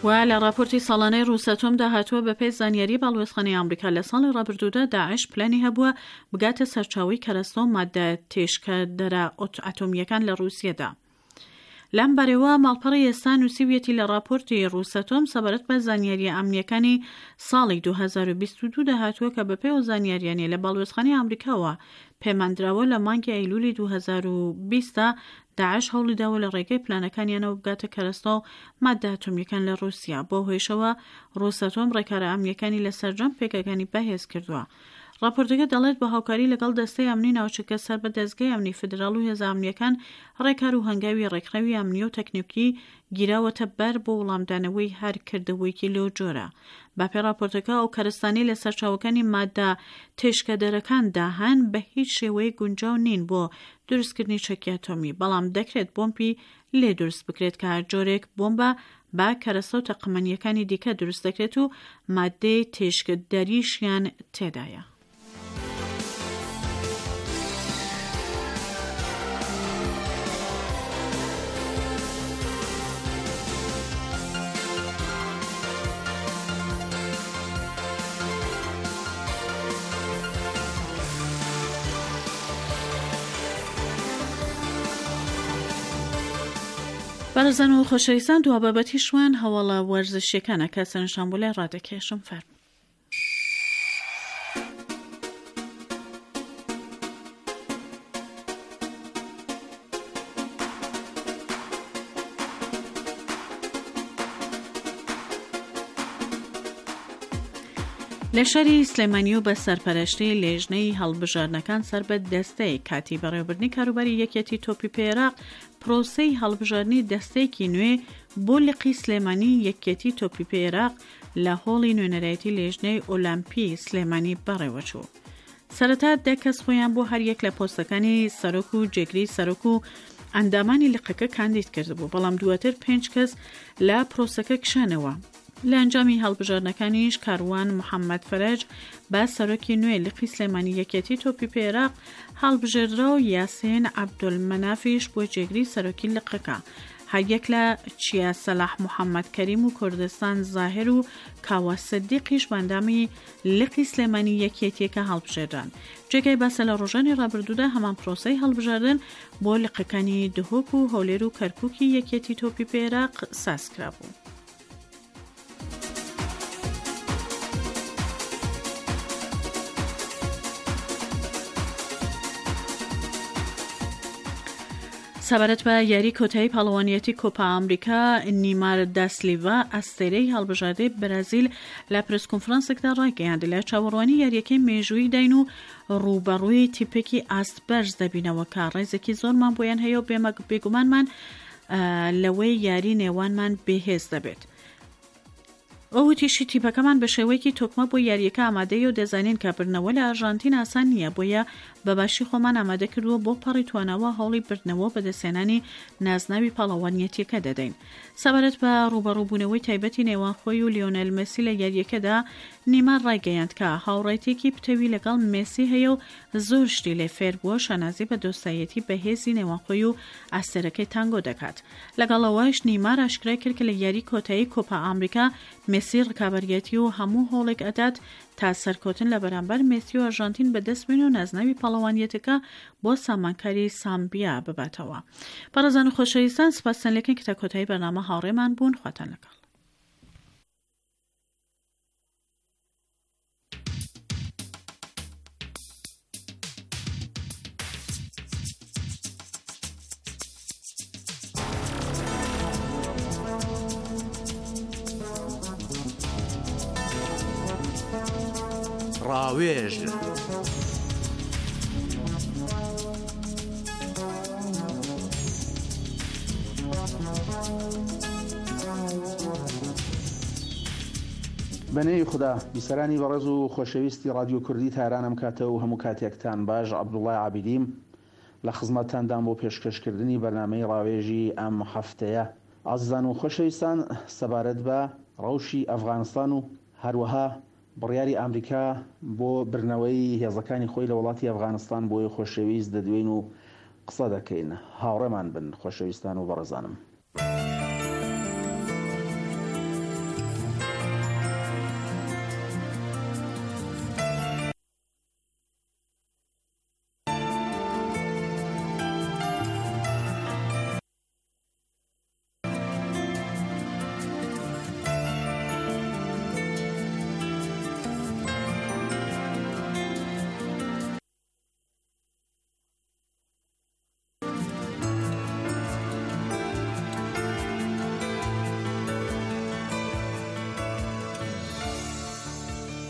و لە ڕاپۆرتی ساڵانەی ڕووسەتۆمدا هاتووە بەپێی زانیاری باڵوێزخانەی ئامریکا لە ساڵی ڕابردوودا داعش پلانی هەبووە بگاتە سەرچاوەی کەرەستە و ماددە تێشکەدەرە ئەتۆمییەکان لە ڕووسیەدا. لەم بارەوە ماڵپەڕی ئێستا نووسیویەتی لە ڕاپۆرتی ڕووسەتۆم سەبارەت بە زانیارییە ئەمنییەکانی ساڵی 2022 دا هاتووە کە بەپێی ئەو زانیارییانەی لە باڵوێزخانەی ئامریکاوە پێمان دراوە لە مانگی ئەیلولی 2020 دا داعش هەوڵی داوە لە ڕێگەی پلانەکانیانەوە بگاتە کەرەستە و ماددە ئەتۆمییەکان لە ڕووسیا بەو هۆیشەوە ڕووسەتۆم ڕێکارە ئەمنییەکانی لە سەرجەم پێگەکانی بەهێز کردووە. ڕاپۆرتەکە دەڵێت، بە هاوکاری لەگەڵ دەستەی ئەمنی ناوچەکە سەر بە دەزگای ئەمنی فیدراڵ و هێزە ئەمنییەکان ڕێکار و هەنگاوی ڕێکخراوی ئەمنی و تەکنیکی گیراوەتە بەر بۆ وڵامدانەوەی هەر کردەوەیەکی لەو جۆرە. بەپێی ڕاپۆرتەکە ئەو کەرەستانەی لە سەرچاوەکانی ماددە تێشکەدەرەکاندا هەن بە هیچ شێوەیەک گونجاو نین بۆ دروستکردنی چەکی ئەتۆمی، بەڵام دەکرێت بۆمپی لێ دروست بکرێت کە هەر جۆرێک بۆمبە بە کەرەستە و تەقەمەنییەکانی دیکە دروست دەکرێت و ماددەی تیشکدەریشیان تێدایە. بەڕێزان و خۆشەویستان دوا بابەتیشمان هەواڵە وەرزشیەکانە کە سەرنجتان بۆ لای ڕادەکێشم فەرموو. لە شاری سلێمانی و بە سەرپەرشتی لێژنەی هەڵبژاردنەکان سەر بە دەستەی کاتی بەڕێوەبردنی کاروباری یەکێتی تۆپی پێی عێراق پرۆسەی هەڵبژاردنی دەستەیەکی نوێ بۆ لقی سلێمانی یەکێتی تۆپی پێی عێراق لە هۆڵی نوێنەرایەتی لێژنەی ئۆلەمپی سلێمانی بەڕێوەچوو. سەرەتا دە کەس خۆیان بۆ هەریەک لە پۆستەکانی سەرۆک و جێگری سەرۆک و ئەندامانی لقەکە کاندید کردبوو، بەڵام دواتر پێنج کەس لە پرۆسەکە کشانەوە. لە ئەنجامی هەڵبژاردنەکانیش کاروان محەممەد فەرەج بە سەرۆکی نوێی لقی سلێمانی یەکێتی تۆپی پێی عێراق هەڵبژێردرا و یاسین عەبدولمەنافیش بووە جێگری سەرۆکی لقەکە. هەریەک لە چیا سەلاح محەممەد کەریم و کوردستان زاهیر و کاوە سدیقیش بە ئەندامی لقی سلێمانی یەکێتییەکە هەڵبژێردران. جێگای باسە لە ڕۆژانی ڕابردوودا هەمان پرۆسەی هەڵبژاردن بۆ لقەکانی دهۆک و هەولێر و کەرکوکی یەکێتی تۆپی پێی عێراق سازکرابوو. سەبارەت بە یاری کۆتایی پاڵەوانیەتی کۆپا ئەمریکا، نیمار داسلیڤا ئەستێرەی هەڵبژاردەی بەرازیل لە پرێس کۆنفرانسێکدا ڕایگەیاند، لە چاوەڕوانی یارییەکەی مێژووییداین و ڕووبەڕووی تیپێکی ئاست بەرز دەبینەوە کە ڕێزێکی زۆرمان بۆیان هەیە و بێگومانمان لەوەی یاری نێوانمان بێهێز دەبێت. ئەو وتیشی، تیپەکەمان بە شێوەیەکی تۆکمە بۆ یارییەکە ئامادەیە و دەزانین کە بردنەوە لە ئەرژانتین ئاسان نییە، بۆیە بە باشی خۆمان ئامادە کردووە بۆ پەڕی تواناوە هەوڵی بردنەوە و بەدەستهێنانی نازناوی پاڵەوانیەتییەکە دەدەین. سەبارەت بە ڕووبەڕووبوونەوەی تایبەتی نێوان خۆی و لیۆنێل مێسی لە یارییەکەدا، نیمار ڕایگەیاند کە هاوڕێیتییەکی پتەوی لەگەڵ مێسی هەیە و زۆر شتی لێ فێر بووە، شانازی بە دۆستایەتی بەهێزی نێوان خۆی و ئەستێرەکەی تانگۆ دەکات. لەگەڵ ئەوەش نیمار ئاشکرای کرد کە لە یاری کۆتایی کۆپا ئامریکا مێسی ڕکابەریەتی و هەموو هەوڵێک ئەدات تا سەرکەوتن لە بەرامبەر مێسی و ئەرژانتین بەدەست بێنێ و نازناوی پاڵەوانیەتەکە بۆ سامانکاری سامبیا بباتەوە. بەڕێزان و خۆشەویستان سپاستان لێکەین کە تا کۆتایی بەرنامە هاوڕێمان بوون خواتان لەگەڵ. ڕاوێژ. بە نێوی خودا، بیسەرانی بەڕێز و خۆشەویستی ڕادیۆ کوردی تاران ئەم کاتە و هەموو کاتێکتان باش عەبدوڵای عابیدیم لە خزمەتتاندام بۆ پێشکەشکردنی بەرنامەی ڕاوێژی ئەم هەفتەیە. ئازیزان و خۆشەویستان سەبارەت بە ڕەوشی ئەفغانستان و هەروەها بڕیاری ئامریکا بۆ بردنەوەی هێزەکانی خۆی لە وڵاتی ئەفغانستان بۆیە خۆشەویست دەدوێین و قسە دەکەین. هاوڕێمان بن خۆشەویستان و بەڕێزانم.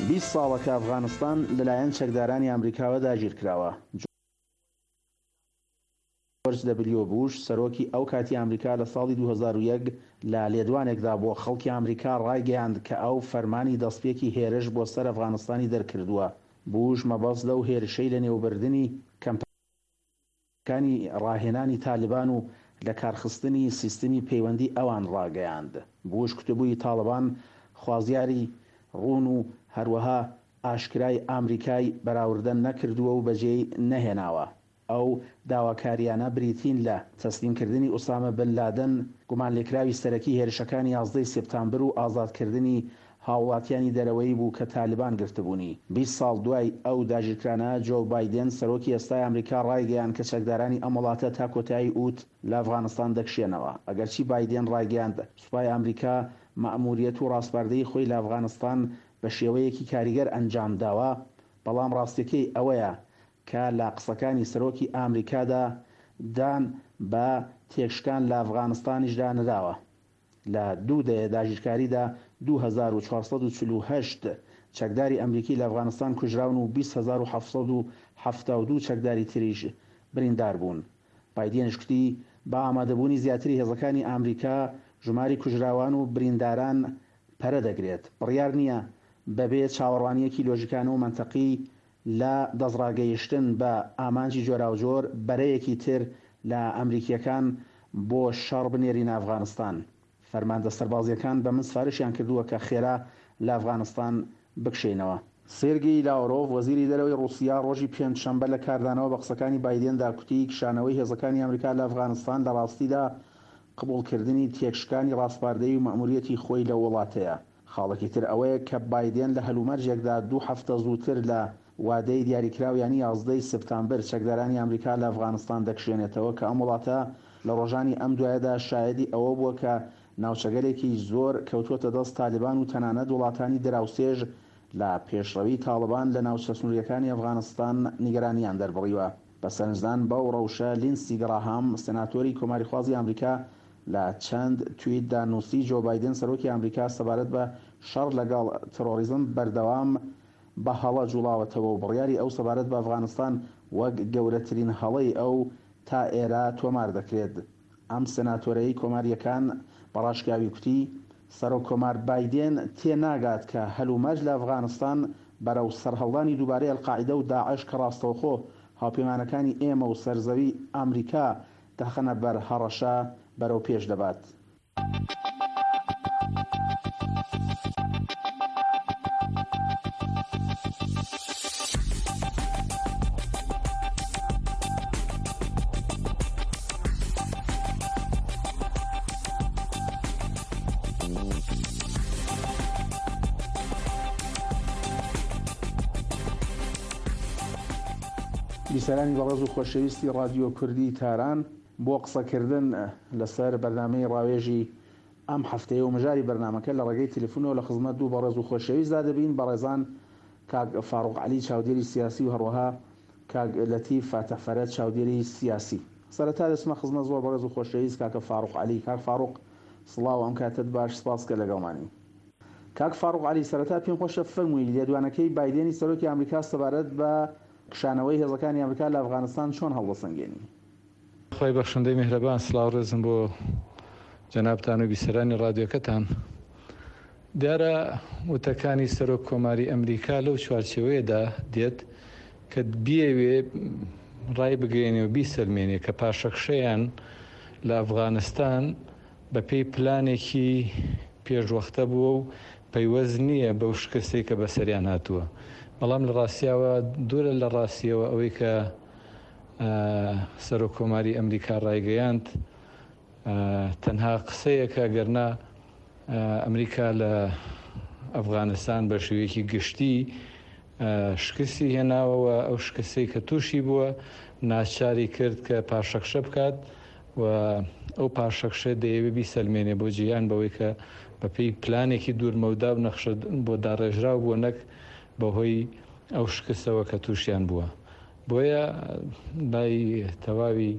20 ساڵە کە ئەفغانستان لەلایەن چەکدارانی ئامریکاوە داگیرکراوە. جۆرج دەبلیۆ بوش، سەرۆکی ئەو کاتی ئامریکا لە ساڵی 2001 لە لێدوانێکدا بۆ خەڵکی ئامریکا ڕایگەیاند کە ئەو فەرمانی دەستپێکی هێرش بۆ سەر ئەفغانستانی دەرکردووە. بوش مەبەست لەو هێرشەی لەنێوبردنی کەمپەکانی ڕاهێنانی تالبان و لەکارخستنی سیستمی پەیوەندی ئەوان ڕاگەیاند. بوش کوتبووی تاڵبان خوازیاری ڕوون و هەروەها ئاشکرای ئامریکای بەراوردە نەکردووە و بەجێی نەهێناوە. ئەو داواکارییانە بریتین لە، تەسلیمکردنی ئوسامە بن لادن، گومانلێکراوی سەرەکی هێرشەکانی یازدەی سێپتامبر و ئازادکردنی هاوڵاتیانی دەرەوەیی بوو کە تالبان گرتبوونی. 20 ساڵ دوای ئەو داگیرکرانە، جۆو بایدێن، سەرۆکی ئێستای ئەمریکا ڕایگەیاند کە چەکدارانی ئەم وڵاتە تا کۆتایی ئوت لە ئەفغانستان دەکشێنەوە. ئەگەرچی بایدێن ڕایگەیاند سوپای ئەمریکا مەئموریەت و ڕاسپاردەی خۆی لە ئەفغانستان بە شێوەیەکی کاریگەر ئەنجامداوە، بەڵام ڕاستیەکەی ئەوەیە کە لە قسەکانی سەرۆکی ئامریکادا دان بە تێکشکان لە ئەفغانستانیشدا نراوە. لە دوو دەیە داگیرکاریدا 2448. چەکداری ئەمریکی لە ئەفغانستان کوژراون و 20,772 چەکداری تریش بریندار بوون. بایدێنیش کوتی، بە ئامادەبوونی زیاتری هێزەکانی ئامریکا، ژماری کوژراوان و برینداران پەرە دەگرێت. بڕیار نییە بەبێ چاوەڕوانییەکی لۆژیکانە و مەنتەقی لە دەستڕاگەیشتن بە ئامانجی جۆراوجۆر، بەرەیەکی تر لە ئەمریکییەکان بۆ شەڕ بنێرینە ئەفغانستان. فەرماندە سەربازییەکان بە من سفارشیان کردووە کە خێرا لە ئەفغانستان بکشێینەوە. سێرگی لاورۆڤ، وەزیری دەرەوەی ڕووسیا ڕۆژی پێنجشەمبە لە کاردانەوە بە قسەکانی بایدێندا کوتی، کشانەوەی هێزەکانی ئەمریکا لە ئەفغانستان لە ڕاستیدا قبوڵکردنی تێکشکانی ڕاسپاردەیی و مەئموریەتی خۆی لەو وڵاتەیە. خاڵێکی تر ئەوەیە کە بایدێن لە هەلومەرجێکدا دوو هەفتە زووتر لە وادەی دیاریکراو یانی 11 ی سپتامبر چەکدارانی ئەمریکا لە ئەفغانستان دەکشێنێتەوە کە ئەم وڵاتە لە ڕۆژانی ئەم دوایەدا شایەدی ئەوە بووە کە ناوچەگەلێکی زۆر کەوتووەتە دەست تالیبان و تەنانەت وڵاتانی دراوسێش لە پێشڕەوی تاڵبان لە ناوچە سنوورییەکانی ئەفغانستان نیگەرانییان دەربڕیوە. بە سەرنجدان بەو ڕەوشە لیندسی گڕاهام، سێناتۆری کۆماریخوازی ئامریکا لە چەند تویتدا نووسی، جۆ بایدن سەرۆکی ئامریکا سەبارەت بە شەڕ لەگەڵ تڕۆریزم بەردەوام بە هەڵە جوڵاوەتەوە و بڕیاری ئەو سەبارەت بە ئەفغانستان وەک گەورەترین هەڵەی ئەو تا ئێرە تۆمار دەکرێت. ئەم سێناتۆرەی کۆمارییەکان بە ڕاشکاوی کوتی، سەرۆک کۆمار بایدێن تێ ناگات کە هەلومەرج لە ئەفغانستان بەرەو سەرهەڵدانی دووبارەی ئەلقاعیدە و داعش کە ڕاستەوخۆ هاوپەیمانەکانی ئێمە و سەرزەوی ئامریکا دەخەنە بەر هەڕەشە، بەرەو پێش دەبات. بیسەرانی بەڕێز و خۆشەویستی ڕادیۆ کوردی تاران بۆ قسەکردن لەسەر بەرنامەی ڕاوێژی ئەم هەفتەیە و مژاری بەرنامەکە لە ڕێگەی تەلەفونەوە لە خزمەت دوو بەڕێز و خۆشەویستدا دەبین، بەڕێزان کاک فاروق عەلی چاودێری سیاسی و هەروەها کاک لەتیف فاتح فەرەج چاودێری سیاسی. سەرەتا دەچمە خزمەت زۆر بەڕێز و خۆشەویست کاکە فاروق عەلی. کاک فاروق سڵاو ئەم کاتەت باش سپاس کە لەگەڵمانی. کاک فاروق عەلی سەرەتا پێم خۆشە فەرمووی لێدوانەکەی بایدێنی سەرۆکی ئامریکا سەبارەت بە کشانەوەی هێزەکانی ئامریکا لە ئەفغانستان چۆن هەڵدەسەنگێنی؟ خوای بەخشندەی میهرەبان سڵاو ڕێزم بۆ جەنابتان و بیسەرانی ڕادیۆکەتان. دیارە وتەکانی سەرۆک کۆماری ئەمریکا لەو چوارچێوەیەدا دێت کە بیەوێ ڕای بگەیەنێ و بیسەلمێنێ کە پاشەکشەیان لە ئەفغانستان بەپێی پلانێکی پێشوەختە بووە و پەیوەست نییە بەو شکستەی کە بەسەریان هاتووە. بەڵام لە ڕاستیاوە دوورە لە ڕاستیەوە ئەوەی کە سەرۆک کۆماری ئەمریکا ڕایگەیاند تەنها قسەیەکە گەرنا ئەمریکا لە ئەفغانستان بە شێوەیەکی گشتی شکستی هێناوە و ئەو شکستەی کە تووشی بووە ناچاری کرد کە پاشەکشە بکات و ئەو پاشەکشە دەیەوێ بیسەلمێنێ بۆ جیهان بەوەی کە بەپێی پلانێکی دوورمەودا و نەخشە بۆ داڕێژراو بووە نەک بەهۆی ئەو شکستەوە کە تووشیان بووە. بۆیە لای تەواوی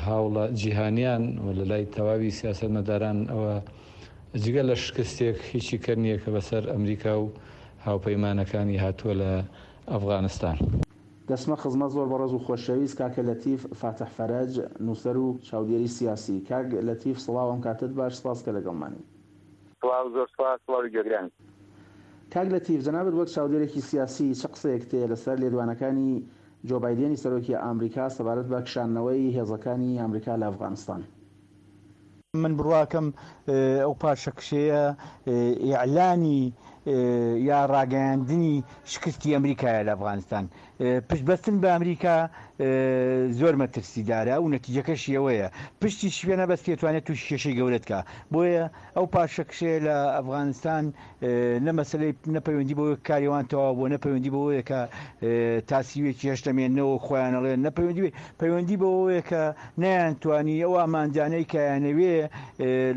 هاوڵە جیهانیان و لە لای تەواوی سیاسەتمەداران ئەوە جگە لە شکستێک هیچی کە نییە کە بەسەر ئەمریکا و هاوپەیمانەکانی هاتووە لە ئەفغانستان. دەچمە خزمەت زۆر بەڕێز و خۆشەویست کاکە لەتیف فاتح فەرەج نوسەر و چاودێری سیاسی کاک لەتیف سڵاو ئەم کاتەت باش سپاس کە لەگەڵمانی. سڵاو زۆر سپاس سڵاوی گوێگرانی. کاک لەتیف جەنابت وەک چاودێرێکی سیاسی چ قسەیەکت هەیە لەسەر لێدوانەکانی جۆ بایدێنی سەرۆکی ئامریکا سەبارەت بە کشاندنەوەی هێزەکانی ئامریکا لە ئەفغانستان؟ من بڕواکەم ئەو پاشەکشەیە ئیعلانی یا ڕاگەیاندنی شکستی ئەمریکایە لە ئەفغانستان. پشت بەستن بە ئەمریکا زۆر مەترسیدارە و نەتیجەکەشی ئەوەیە پشتیش پێ نەبەستێ توانێت تووشی کێشەی گەورەت کا. بۆیە ئەو پاشەکشەیە لە ئەفغانستان نە مەسەلەی نە پەیوەندی بەوەی کاری ئەوان تەواو بووە، نە پەیوەندی بەوەیە کە تا سیوێکی هێشتا مێننەوە وەک خۆیان ئەڵێن، نە پەیوەندی پەیوەندی بەوەیە کە نەیانتوانی ئەو ئامانجانەی کە ئەیانەوێ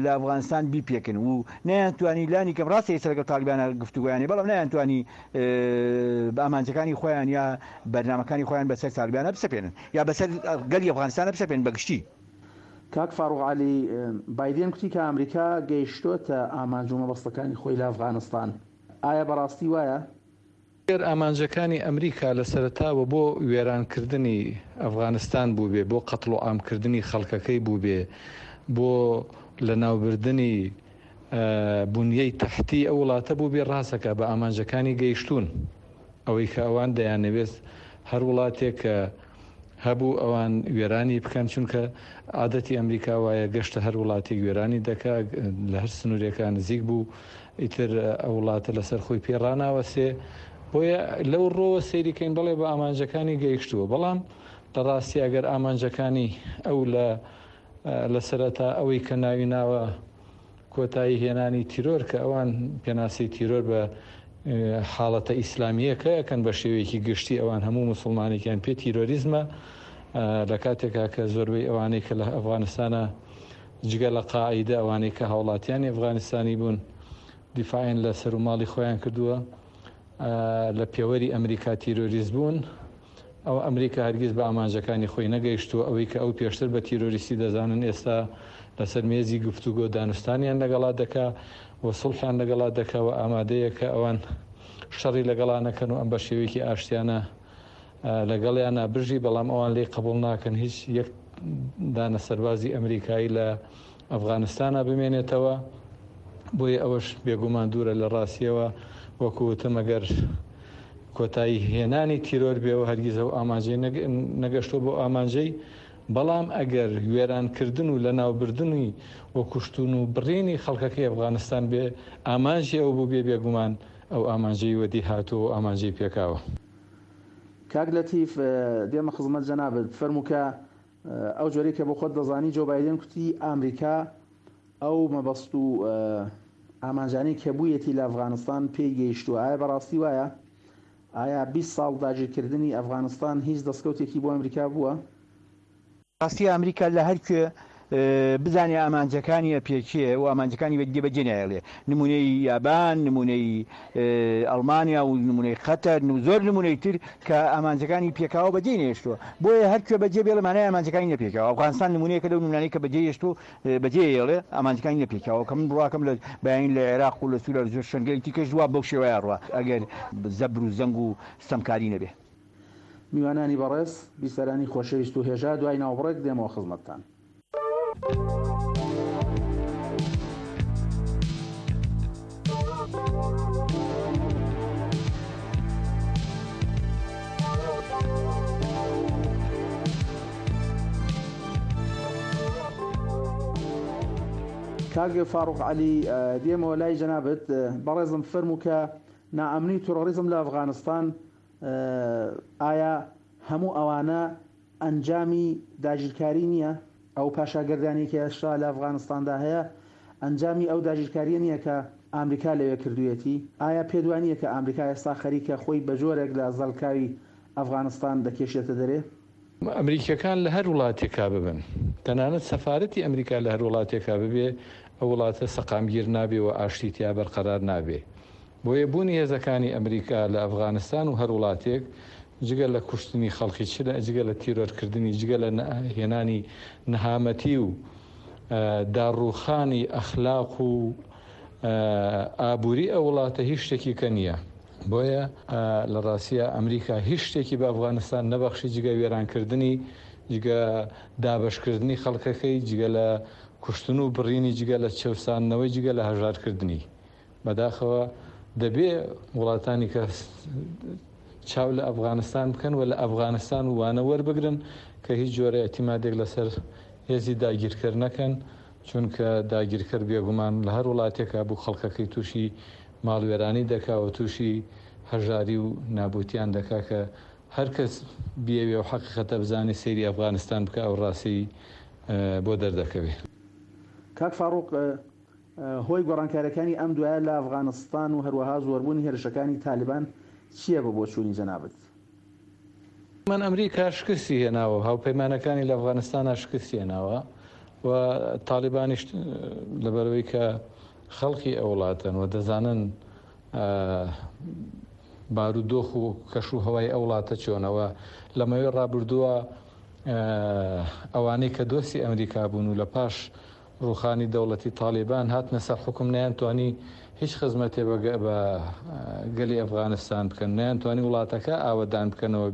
لە ئەفغانستان بیپێکن و نەیانتوانی لانی کەم ڕاستە ئێستا لەگەڵ تاڵیبانە گفتوگۆیان هەیە بەڵام نەیانتوانی ئامانجەکانی خۆیان یا بەرنامەکانی خۆیان بەسەر تاڵیبانە بسەپێنن یا بەسەر گەلی ئەفغانستانە بسەپێنن بە گشتی. کاک فاروق عەلی، بایدێن کوتی کە ئامریکا گەیشتۆتە ئامانج و مەبەستەکانی خۆی لە ئەفغانستان. ئایا بەڕاستی وایە؟ گەر ئامانجەکانی ئەمریکا لە سەرەتاوە بۆ وێرانکردنی ئەفغانستان بووبێ، بۆ قەتڵوعامکردنی خەڵکەکەی بووبێ، بۆ لەناوبردنی بونیەی تەحتی ئەو وڵاتە بووبێ، ڕاستەکا بە ئامانجەکانی گەیشتوون. ئەوەی کە ئەوان دەیانەوێت هەر وڵاتێک کە هەبوو ئەوان وێرانی بکەن چونکە عادەتی ئەمریکا وایە گەشتە هەر وڵاتێک وێرانی دەکا لە هەر سنوورێکا نزیک بوو ئیتر ئەو وڵاتە لەسەر خۆی پێ ڕناوەسێ بۆیە لەو ڕۆوە سەیریکەین بەڵێ بە ئامانجەکانی گەیشتووە بەڵام لە ڕاستی ئەگەر ئامانجەکانی ئەو لە لە سەرەتا ئەوەی کە ناوی ناوە کۆتایی هێنانی تیرۆر کە ئەوان پێناسەی تیرۆر بە حاڵەتە ئیسلامییەکە ئەکەن بە شێوەیەکی گشتی ئەوان هەموو موسڵمانێکیان پێ تیرۆریزمە لە کاتێکا کە زۆربەی ئەوانەی کە لە ئەفغانستانە جگە لە قاعیدە ئەوانەی کە هاوڵاتیانی ئەفغانستانی بوون دیفاعیان لە سەر و ماڵی خۆیان کردووە لە پێوەری ئەمریکا تیرۆریست بوون ئەوە ئەمریکا هەرگیز بە ئامانجەکانی خۆی نەگەیشتووە، ئەوەی کە ئەو پێشتر بە تیرۆریستی دەزانن ئێستا لەسەر مێزی گفتوگۆ دانوستانیان لەگەڵا دەکا و سوڵحیان لەگەڵا دەکا و ئامادەیە کە ئەوان شەڕی لەگەڵا نەکەن و ئەم بە شێوەیەکی ئاشتیانە لەگەڵیانا بژی، بەڵام ئەوان لێی قبوڵ ناکەن هیچ یەک دانە سەربازی ئەمریکایی لە ئەفغانستانا بمێنێتەوە، بۆیە ئەوەش بێگومان دوورە لە ڕاستیەوە، وەکو وتم ئەگەر کۆتایی هێنانی تیرۆر بێ و هەرگیز ئەو ئامانجەی نەگەشتووە بۆ ئامانجەی، بەڵام ئەگەر وێرانکردن و لەناوبردنی و کوشتن و بڕینی خەڵکەکەی ئەفغانستان بێ ئامانجی ئەو بووبێ بێگومان ئەو ئامانجەی وەدی هاتووە و ئامانجەی پێکاوە. کاک لەتیف دێمە خزمەت جەنابت، فەرموو کە ئەو جۆرەی کە بۆ خۆت دەزانی جۆ بایدن کوتی ئامریکا ئەو مەبەست و ئامانجانەی کە بوویەتی لە ئەفغانستان پێی گەیشتووە ئایا بەڕاستی وایە؟ ئایا 20 ساڵ داگیرکردنی ئەفغانستان هیچ دەستکەوتێکی بۆ ئەمریکا بووە؟ ڕاستی ئامریکا لە هەر کوێ بزانێ ئامانجەکانی ئەپێکێ و ئامانجەکانی بە جێبەجێ نایەڵێ نمونەی یابان نمونەی ئەڵمانیا و نمونەی قەتەر و زۆر نمونەی تر کە ئامانجەکانی پێکاوە بەجێی نەهێشتووە بۆیە هەر کوێ بەجێ بێڵێ مانای ئامانجەکانی نەپێکاوە ئەفغانستان نمونەیەکە لەو نمونانەی کە بەجێ هێشتووە بەجێ ئەیەڵێ ئامانجەکانی نەپێکاوە کە من بڕواکەم لە بەیانی لە عێراق و لە سووریا و زۆر شوێنگەلی تیکەش وا بەو شێوەیە ئەڕوا ئەگەر زەبر و زەنگ و ستەمکاری نەبێ. میوانانی بەڕێز، بیسەرانی خۆشەویست و هێژا دوای ناوبڕێک دێمەوە خزمەتتان. کاک فاروق عەلی دێمەوە لای جەنابت بەڕێزم فەرموو کە نائەمنی و تیرۆریزم لە ئەفغانستان ئایا هەموو ئەوانە ئەنجامی داگیرکاری نییە؟ ئەو پاشاگەردانیەی کە ئێستا لە ئەفغانستاندا هەیە ئەنجامی ئەو داگیرکاریە نییە کە ئامریکا لەوێ کردوویەتی؟ ئایا پێت وا نییە کە ئامریکا ئێستا خەریکە خۆی بە جۆرێک لە زەلکاوی ئەفغانستان دەکێشێتە دەرێ؟ ئەمریکیەکان لە هەر وڵاتێکا ببن، تەنانەت سەفارەتی ئەمریکا لە هەر وڵاتێکا ببێ، ئەو وڵاتە سەقامگیر نابێ و ئاشتی تیا بەرقەرار نابێ. بۆیە بوونی هێزەکانی ئەمریکا لە ئەفغانستان و هەر وڵاتێک جگە لە کوشتنی خەڵکی چ جگە لە تیرۆرکردنی جگە لە هێنانی نەهامەتی و داڕووخانی ئەخلاق و ئابووری ئەو وڵاتە هیچ شتێکی کە نییە. بۆیە لە ڕاستیا ئەمریکا هیچ شتێکی بە ئەفغانستان نەبەخشی جگە وێرانکردنی جگە دابەشکردنی خەڵکەکەی جگە لە کوشتن و بڕینی جگە لە چەوساندنەوەی جگە لە هەژارکردنی. بەداخەوە دەبێ وڵاتانی کە چاو لە ئەفغانستان بکەن و لە ئەفغانستان وانە وەربگرن کە هیچ جۆرە ئیعتیمادێک لەسەر هێزی داگیرکەر نەکەن چونکە داگیرکەر بێگومان لە هەر وڵاتێکا بوو خەڵکەکەی تووشی ماڵوێرانی دەکا و تووشی هەژاری و نابوتیان دەکا کە هەر کەس بیەوێ و حەقیقەتە بزانێ سەیری ئەفغانستان بکا ئەو ڕاستی بۆ دەردەکەوێ. کاک فاڕوق هۆی گۆڕانکاریەکانی ئەم دوایە لە ئەفغانستان و هەروەها زۆربوونی هێرشەکانی تالیبان چییە بە بۆچوونی جەنابت؟ من ئەمریکا شکستی هێناوە و هاوپەیمانەکانی لە ئەفغانستانا شکستی هێناوە و تالیبانیش لەبەرئەوەی کە خەڵکی ئەو وڵاتەن و دەزانن بارودۆخ و کەش و هەوای ئەو وڵاتە چۆنە و لە ماوەی ڕابردووە ئەوانەی کە دۆستی ئەمریکا بوون و لە پاش. ڕووخانی دەوڵەتی تاڵیبان هاتنە سەر حوکم نەیانتوانی هیچ خزمەتێ بە گەلی ئەفغانستان بکەن، نەیانتوانی وڵاتەکە ئاوەدان بکەنەوە،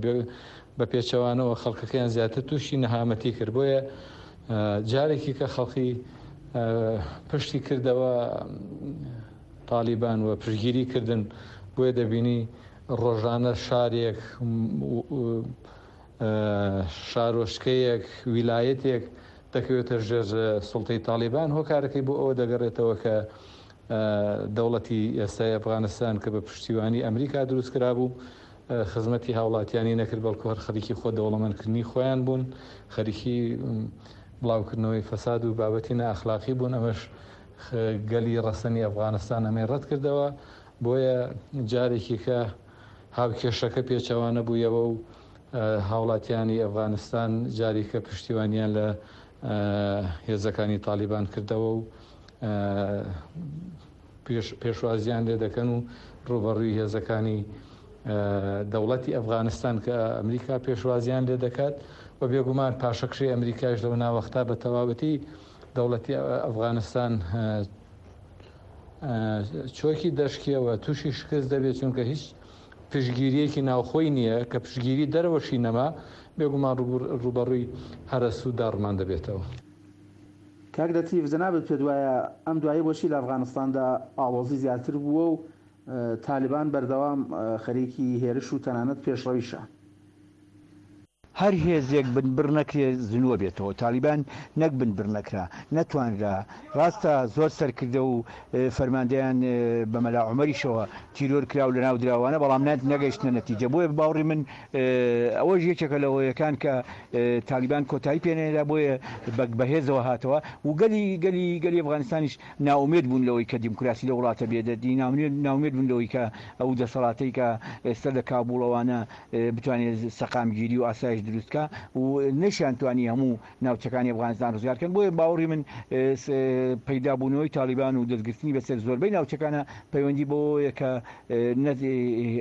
بە پێچەوانەوە خەڵکەکەیان زیاتر تووشی نەهامەتی کرد، بۆیە جارێکی کە خەڵکی پشتی کردەوە تاڵیبان و پشتگیری کردن، بۆیە دەبینی ڕۆژانە شارێک شارۆچکەیەک، ویلایەتێک دەکەوێتە ژێر سوڵتەی تاڵیبان، هۆکارەکەی بۆ ئەوە دەگەڕێتەوە کە دەوڵەتی ئێستای ئەفغانستان کە بە پشتیوانی ئەمریکا دروست کرابوو خزمەتی هاوڵاتیانی نەکرد، بەڵکو هەر خەریکی خۆ دەوڵەمەندکردنی خۆیان بوون، خەریکی بڵاوکردنەوەی فەساد و بابەتی نائەخلاقی بوون، ئەمەش گەلی ڕەسەنی ئەفغانستان ئەمەی ڕەتکردەوە، بۆیە جارێکی کە هاوکێشەکە پێچەوانە بوویەوە و هاوڵاتیانی ئەفغانستان جاریکە پشتیوانیان لە هێزەکانی تالیبان کردەوە و پێشوازیان لێ دەکەن و ڕوبەڕووی هێزەکانی دەوڵەتی ئەفغانستان کە ئەمریکا پێشوازیان لێ دەکات و بێگومان پاشەکشەی ئەمریکاش لەو ناوەختا بە تەواوەتی دەوڵەتی ئەفغانستان چۆکی دەشکێوە تووشی شکست دەبێت چونکە هیچ پشتگیرییەکی ناوخۆی نییە، کە پشتگیری دەرەوەشی نەما، بێگومان ڕووبەڕووی هەرەس و داڕمان دەبێتەوە. کاک لەتیف، جەنابت پێت وایە ئەم دواییە بۆچی لە ئەفغانستاندا ئاڵۆزی زیاتر بووە و تالیبان بەردەوام خەریکی هێرش و تەنانەت پێشڕەویشە؟ هەر هێزێک بنبڕ نەکرێ زنووە بێتەوە، تاڵیبان نەک بنبڕ نەکرا، نەتوانرا، ڕاستە زۆر سەرکردە و فەرماندەیان بە مەلا عومەریشەوە تیرۆر کرا و لەناو دراوانە، بەڵام نەگەیشتنە نەتیجە، بۆیە بە باوڕی من ئەوەش یەکێکە لە هۆیەکان کە تاڵیبان کۆتایی پێ نەهێنرا، بۆیە بە بەهێزەوە هاتەوە و گەلی گەلی گەلی ئەفغانستانیش نائومێد بوون لەوەی کە دیموکراسی لەو وڵاتە بێتە دی، نائومێد بوون لەوەی کە ئەو دەسەڵاتەی کە ئێستا لە کابوڵەوانە بتوانێت سەقامگیری و ئاسایش دروست کا و نەشیانتوانی هەموو ناوچەکانی ئەفغانستان ڕزگار کەن، بۆیە باوەڕی من پەیدابوونەوەی تاڵیبان و دەستگرتنی بەسەر زۆربەی ناوچەکانە پەیوەندی بەوەیە کە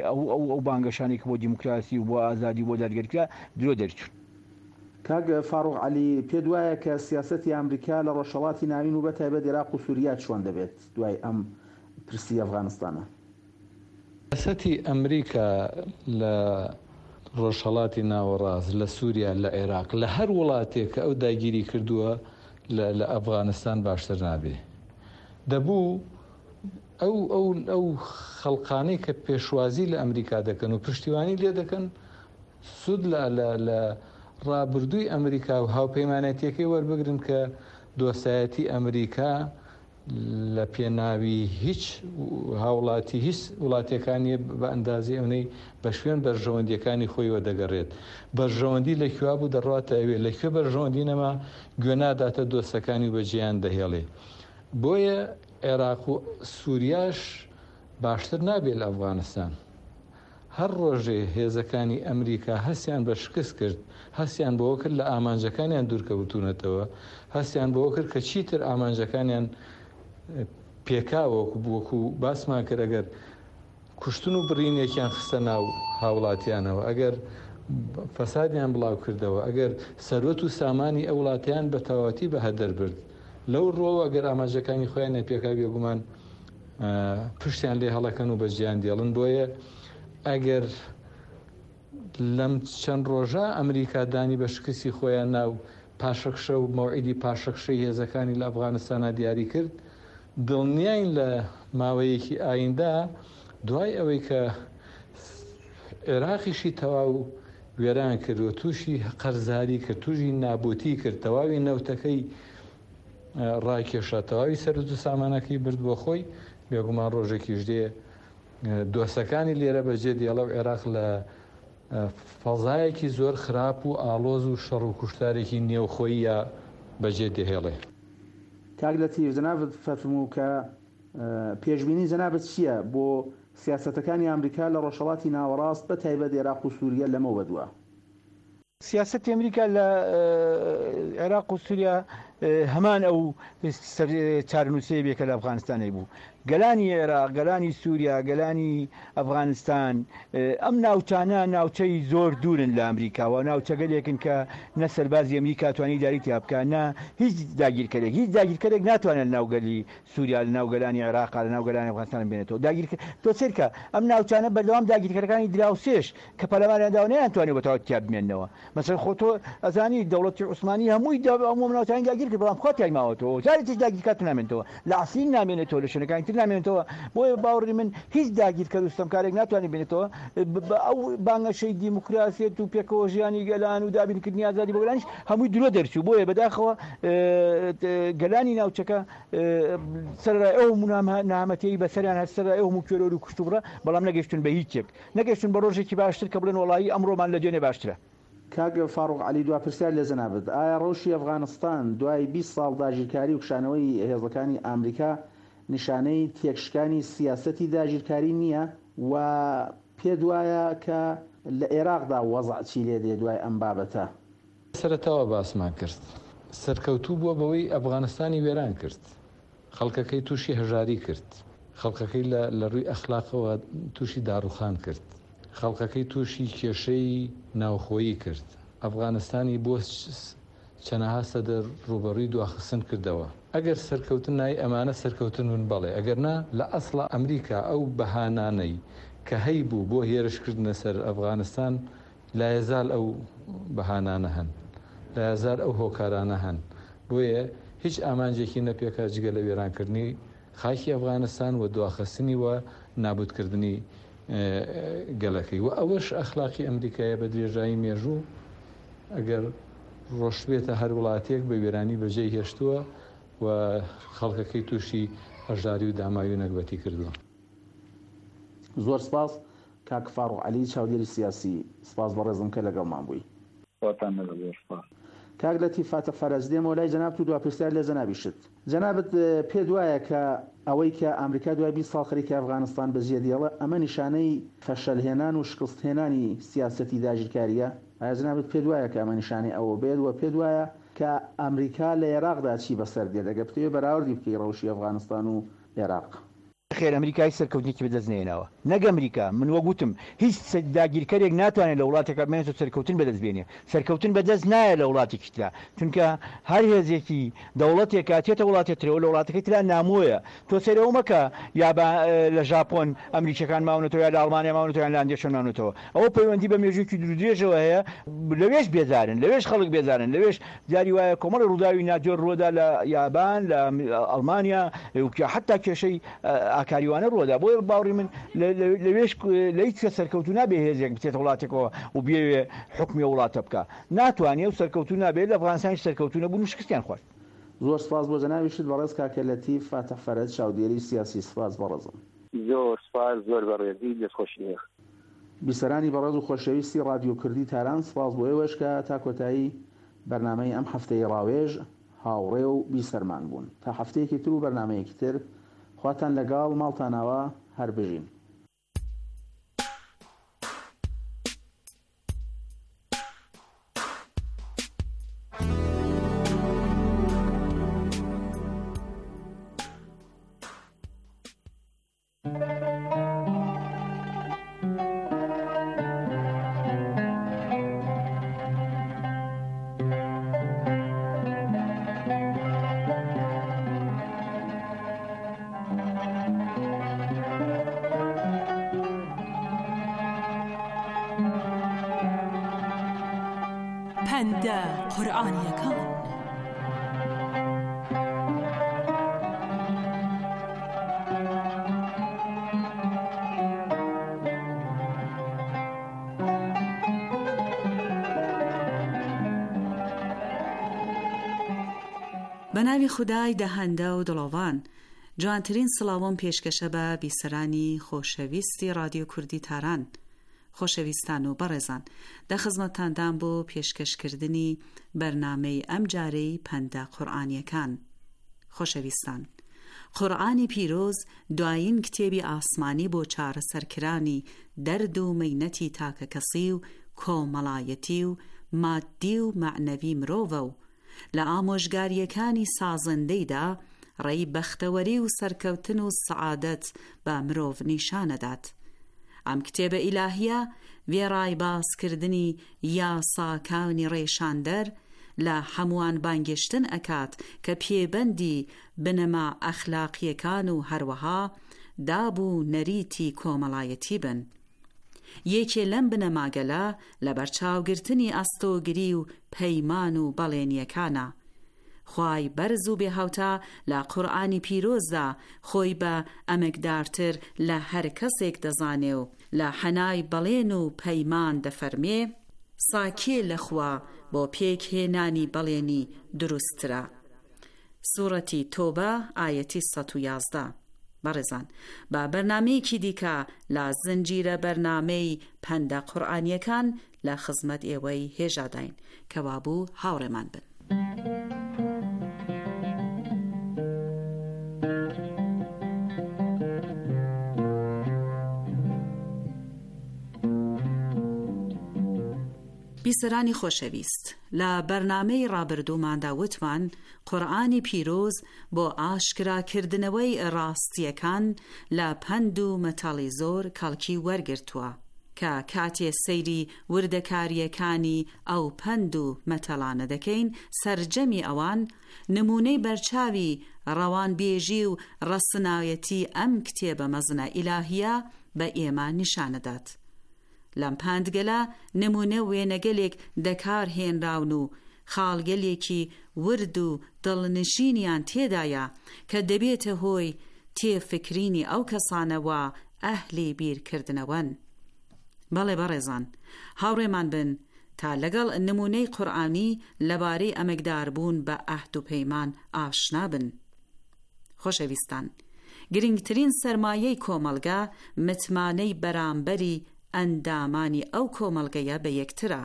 ئەو بانگەشانەی کە بۆ دیموکراسی و بۆ ئازادی و بۆ دادگەری کرا درۆ دەرچوون. کاک فاروق عەلی، پێت وایە کە سیاسەتی ئامریکا لە ڕۆژهەڵاتی ناوین و بە تایبەت ئێراق و سوریا چۆن دەبێت دوای ئەم پرسی ئەفغانستانە؟ سیاسەتی ئەمریکا لە ڕۆژهەڵاتی ناوەڕاست، لە سووریا، لە عێراق، لە هەر وڵاتێک کە ئەو داگیری کردووە لە ئەفغانستان باشتر نابێ. دەبوو ئەو ئەو ئەو خەڵقانەی کە پێشوازی لە ئەمریکا دەکەن و پشتیوانی لێ دەکەن سوود لە لە لە ڕابردووی ئەمریکا و هاوپەیمانەتیەکەی وەربگرن کە دۆستایەتی ئەمریکا لە پێناوی هیچ هاوڵاتی هیچ وڵاتێکا نیە بە ئەندازەی ئەونەی بە شوێن بەرژەوەندیەکانی خۆیوە دەگەڕێت بەرژەوەندی لە کوێ بوو دەڕواتە ئەوێ لە کوێ بەرژەوەندی نەما گوێ ناداتە دۆستەکانی و بەجێیان دەهێڵێ بۆیە عێراق و سوریاش باشتر نابێت لە ئەفغانستان. هەر ڕۆژێ هێزەکانی ئەمریکا هەستیان بە شکست کرد، هەستیان بەوە کرد لە ئامانجەکانیان دوورکەوتوونەتەوە، هەستیان بەوە کرد کە چیتر ئامانجەکانیان پێکاوە، وەکو باسمان کرد ئەگەر کوشتن و بڕینێکیان خستە ناو هاوڵاتیانەوە، ئەگەر فەسادیان بڵاو کردەوە، ئەگەر سەروەت و سامانی ئەو وڵاتەیان بە تەواوەتی بە هەدەر برد، لەو ڕووەوە ئەگەر ئامانجەکانی خۆیانیان پێکا بێگومان پشتیان لێ هەڵەکەن و بەجێیان دێڵن بۆیە ئەگەر لەم چەند ڕۆژە ئەمریکا دانی بە شکستی خۆیان ناو پاشەکشە و مەوعیدی پاشەکشەی هێزەکانی لە ئەفغانستانە دیاری کرد دڵنیاین لە ماوەیەکی ئایندە دوای ئەوەی کە عێراقیشی تەواو وێران کرد و تووشی قەرزاری کرد تووشی نابوتی کرد تەواوی نەوتەکەی ڕاکێشا تەواوی سەروەت و سامانەکەی برد بۆ خۆی، بێگومان ڕۆژێکیش دێ دۆستەکانی لێرە بەجێ دێڵە و عێراق لە فەزایەکی زۆر خراپ و ئاڵۆز و شەڕ و کوشتارێکی نێوخۆییا بەجێ دەهێڵێ. کاک لەتیف جەنابت فەرموو کە پێشبینی جەنابت چییە بۆ سیاسەتەکانی ئامریکا لە ڕۆژهەڵاتی ناوەڕاست بە تایبەت ئێراق و سووریە لەمەو بەدوا؟ سیاسەتی ئەمریکا لە عێراق و سووریا هەمان ئەو چارەنووسەیە بێ کە لە ئەفغانستان هەیبوو. گەلانی عێراق، گەلانی سووریا، گەلانی ئەفغانستان، ئەم ناوچانە ناوچەی زۆر دوورن لە ئەمریکا و ناوچەگەلێکن کە نە سەربازی ئەمریکا توانی ئیدارەی تیا بکا نە هیچ داگیرکەرێک. هیچ داگیرکەرێک ناتوانێت لە ناو گەلی سووریا، لە ناو گەلانی عێراقا، لە ناو گەلانی ئەفغانستان بمێنێتەوە. داگیرکە تۆ سەیرکە ئەم ناوچانە بەردەوام داگیرکەرەکانی دراوسێش کە پەلاماریان داوە نەیانتوانیوە بە تەواوەتی تیا بمێننەوە. مەسەلەن خۆ تۆ ئەزانی دەوڵەتی عوسمانی هەمووی هەموو ئەم ناوچانەی داگیر کرد بەڵام خوا تیای ماوەتەوە جارێکیش داگیرکار نامێنێتەوە لە عەفرین نامێنێتەوە لە شوێنەکانی تر نامێنێتەوە بۆیە باوەڕی من هیچ داگیرکەر و ستەمکارێک ناتوانێت بێنێتەوە بە ئەو بانگەشەی دیموکراسیەت و پێکەوە ژیانی گەلان و دابینکردنی ئازادی بۆ گەلانیش هەمووی درۆ دەرچوو بۆیە بەداخەوە گەلانی ناوچەکە سەرەڕای ئەو هەموو نەهامەتیەی بەسەریان هات سەرەڕای ئەو هەموو تێرۆر و کوشتوبڕە بەڵام نەگەیشتوون بە هیچێک نەگەیشتوون بە ڕۆژێکی باشتر کە بڵێن وەڵایی ئەمڕۆمان لە دوێنێ باشترە. کاک فاروق عەلی دوا پرسیار لە جەنابت، ئایا ڕەوشی ئەفغانستان دوای 20 ساڵ داگیرکاری و کشانەوەی هێزەکانی ئامریکا نیشانەی تێکشکانی سیاسەتی داگیرکاری نییە و پێت وایە کە لە ئێراقدا وەزع چی لێ دێ دوای ئەم بابەتە؟ سەرەتاوە باسمان کرد سەرکەوتوو بووە بەوەی ئەفغانستانی وێران کرد، خەڵکەکەی تووشی هەژاری کرد، خەڵکەکەی لە لە ڕووی ئەخلاقەوە تووشی داڕوخان کرد، خەڵکەکەی تووشی کێشەی ناوخۆیی کرد، ئەفغانستانی بۆ چەنەها سەدە ڕووبەڕووی دواخستن کردەوە. ئەگەر سەرکەوتن نای ئەمانە سەرکەوتن بن بەڵێ، ئەگەر نا لە ئەسڵا ئەمریکا ئەو بەهانانەی کە هەیبوو بۆ هێرش کردنە سەر ئەفغانستان لایەزال ئەو بەهانانە هەن، لایەزال ئەو هۆکارانە هەن، بۆیە هیچ ئامانجێکی نەپێکا جگە لە وێرانکردنی خاکی ئەفغانستان و دواخستنی و نابوتکردنی گەلەکەی و ئەوەش ئەخلاقی ئەمریکایە بە درێژایی مێژوو ئەگەر ڕۆشتبێتە هەر وڵاتێک بە وێرانی بەجێی هێشتووە و خەڵکەکەی تووشی هەژاری و داماوی و نەگبەتی کردووە. زۆر سپاس کاک فاروق عەلی چاودێری سیاسی سپاس بەڕێزم کە لەگەڵمان بووی. خواتان لەگەڵ زۆر سپاس. کاک لەتیف فاتح فەرەج دێمەوە لای جەنابت و دوا پرسیار لە جەنابیشت. جەنابت پێت وایە کە ئەوەی کە ئامریکا دوای 20 ساڵ خەریکە ئەفغانستان بەجێ دێڵێ ئەمە نیشانەی فەشەل هێنان و شکست هێنانی سیاسەتی داگیرکاریە؟ ئایا جەنابت پێت وایە کە ئەمە نیشانەی ئەوە بێت و پێت وایە کە ئامریکا لە ئێراقدا چی بەسەر دێت ئەگەر بتەوێ بەراوردی بکەی ڕەوشی ئەفغانستان و ئێراق؟ نەخێر ئەمریکا هیچ سەرکەوتنێکی بەدەست نەهێناوە نەک ئەمریکا من وەک وتم هیچ داگیرکەرێک ناتوانێت لە وڵاتێکا بمێنێتەوە سەرکەوتن بەدەست بێنێ سەرکەوتن بەدەست نایە لە وڵاتێکی ترا چونکە هەر هێزێکی دەوڵەتێکا تێتە وڵاتێ ترەوە لە وڵاتەکەی ترا نامۆیە تۆ سەیرە ئەو مەکە یابا لە ژاپۆن ئەمریکیەکان ماونەتەوە یا لە ئەڵمانیا ماونەتەوە یان لە هەندێک شوێن ماونەتەوە ئەوە پەیوەندی بە مێژوویەکی دوورودرێژەوە هەیە لەوێش بێزارن لەوێش خەڵک بێزارن لەوێش جاری وایە کۆمەڵی ڕووداوی ناجۆر ڕووەدا لە یابان لە ئەڵمانیا حتا کێشەی ئاکاریوانە ڕووەدا بۆیە باوەڕی من لەوێش لە هیچ کەس سەرکەوتوو نابێ هێزێک بچێتە وڵاتێکەوە و بیەوێ حوکمی ئەو وڵاتە بکا ناتوانێ و سەرکەوتوو نابێت لە ئەفغانستانیش سەرکەوتوو نەبوون و شکستیان خوارد. زۆر سپاس بۆ جەنابیشت بەڕێز کاکە لەتیف فاتح فەرەج چاودێری سیاسی سپاس بەڕێزم. زۆر سپاس زۆر بەڕێزی دەستخۆشی لێ. بیسەرانی بەڕێز و خۆشەویستی ڕادیۆ کوردی تاران سپاس بۆ ئێوەش کە تا کۆتایی بەرنامەی ئەم هەفتەی ڕاوێژ هاوڕێ و بیسەرمان بوون. تا هەفتەیەکی تر و بەرنامەیەکی تر خواتان لەگەڵ، ماڵتان ئاوا، هەر بژین. پەندە قورئانیەکان. بە ناوی خودای دەهەندە و دڵۆڤان. جوانترین سڵاوم پێشکەشە بە بیسەرانی خۆشەویستی ڕادیۆ کوردی تاران. خۆشەویستان و بەڕێزان دە خزمەتتاندام بۆ پێشکەش کردنی بەرنامەی ئەم جارەی پەندە قورئانیەکان. خۆشەویستان قورئانی پیرۆز دوایین کتێبی ئاسمانی بۆ چارەسەرکرانی دەرد و مەینەتی تاکەکەسی و کۆمەڵایەتی و ماددی و مەعنەوی مرۆڤە و لە ئامۆژگارییەکانی سازندەیدا. ڕێی بەختەوەری و سەرکەوتن و سەعادەت بە مرۆڤ نیشانەدات. ئەم کتێبە ئیلاهییە وێڕای باسکردنی یاساکانی ڕێشاندەر، لە هەمووان بانگێشتن ئەکات کە پێبەندی بنەما ئەخلاقییەکان و هەروەها داب و نەریتی کۆمەڵایەتی بن. یەکێ لەم بنەماگەلە لەبەرچاوگرتنی ئەستۆگری و پەیمان و بەڵێنییەکانە. خوای بەرز و بێهاوتا لە قورئانی پیرۆزدا خۆی بە ئەمەکدارتر لە هەر کەسێک دەزانێ و لە حەنای بەڵێن و پەیمان دەفەرمێ، سا کێ لە خوا بۆ پێک هێنانی بەڵێنی دروستترە؟ سوڕەتی تۆبە ئایەتی 111. بەڕێزان با بەرنامەیەکی دیکە لە زنجیرە بەرنامەی پەندە قورئانیەکان لە خزمەت ئێوەی هێژاداین کەوابوو هاوڕێمان بن. بیسەرانی خۆشەویست، لە بەرنامەی ڕابردووماندا وتمان قورئانی پیرۆز بۆ ئاشکراکردنەوەی ڕاستییەکان لە پەند و مەتەڵی زۆر کەڵکی وەرگرتووە، کە کاتێ سەیری وردەکارییەکانی ئەو پەند و مەتەڵانە دەکەین سەرجەمی ئەوان نموونەی بەرچاوی ڕەوانبێژی و ڕەسنایەتی ئەم کتێبە مەزنە ئیلاهییە بە ئێمە نیشانەدات. لەم پەندگەلە نموونە وێنەگەلێک دەکار هێنراون و خاڵگەلێکی ورد و دڵنشینیان تێدایە کە دەبێتە هۆی تێفکرینی ئەو کەسانە وا ئەهلی بیرکردنەوەن. بەڵێ بەڕێزان، هاوڕێمان بن تا لەگەڵ نموونەی قورئانی لەبارەی ئەمەگداربوون بە عەهد و پەیمان ئاشنا بن. خۆشەویستان، گرنگترین سەرمایەی کۆمەڵگە متمانەی بەرامبەری ئەندامانی ئەو کۆمەڵگەیە بە یەکترە.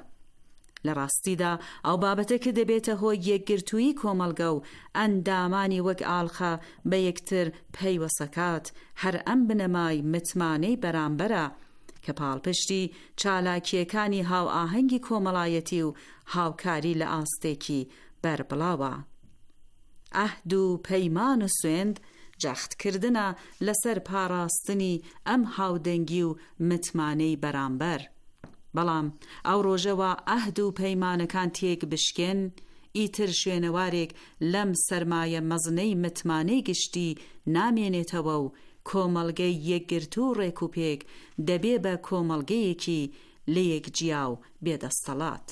لە ڕاستیدا ئەو بابەتە کە دەبێتە هۆی یەکگرتوویی کۆمەڵگە و ئەندامانی وەک ئاڵقە بە یەکتر پەیوەسەکات هەر ئەم بنەمای متمانەی بەرامبەرە کە پاڵپشتی چالاکییەکانی هاوئاهەنگی کۆمەڵایەتی و هاوکاری لە ئاستێکی بەربڵاوە. عەهد و پەیمان و سوێند جەخت کردنە لەسەر پاراستنی ئەم هاودەنگی و متمانەی بەرامبەر. بەڵام ئەو ڕۆژە وا عەهد و پەیمانەکان تێک بشکێن، ئیتر شوێنەوارێک لەم سەرمایە مەزنەی متمانەی گشتی نامێنێتەوە و کۆمەڵگەی یەکگرتوو و ڕێکوپێک دەبێ بە کۆمەڵگەیەکی لەیەک جیا و بێ دەستەڵات.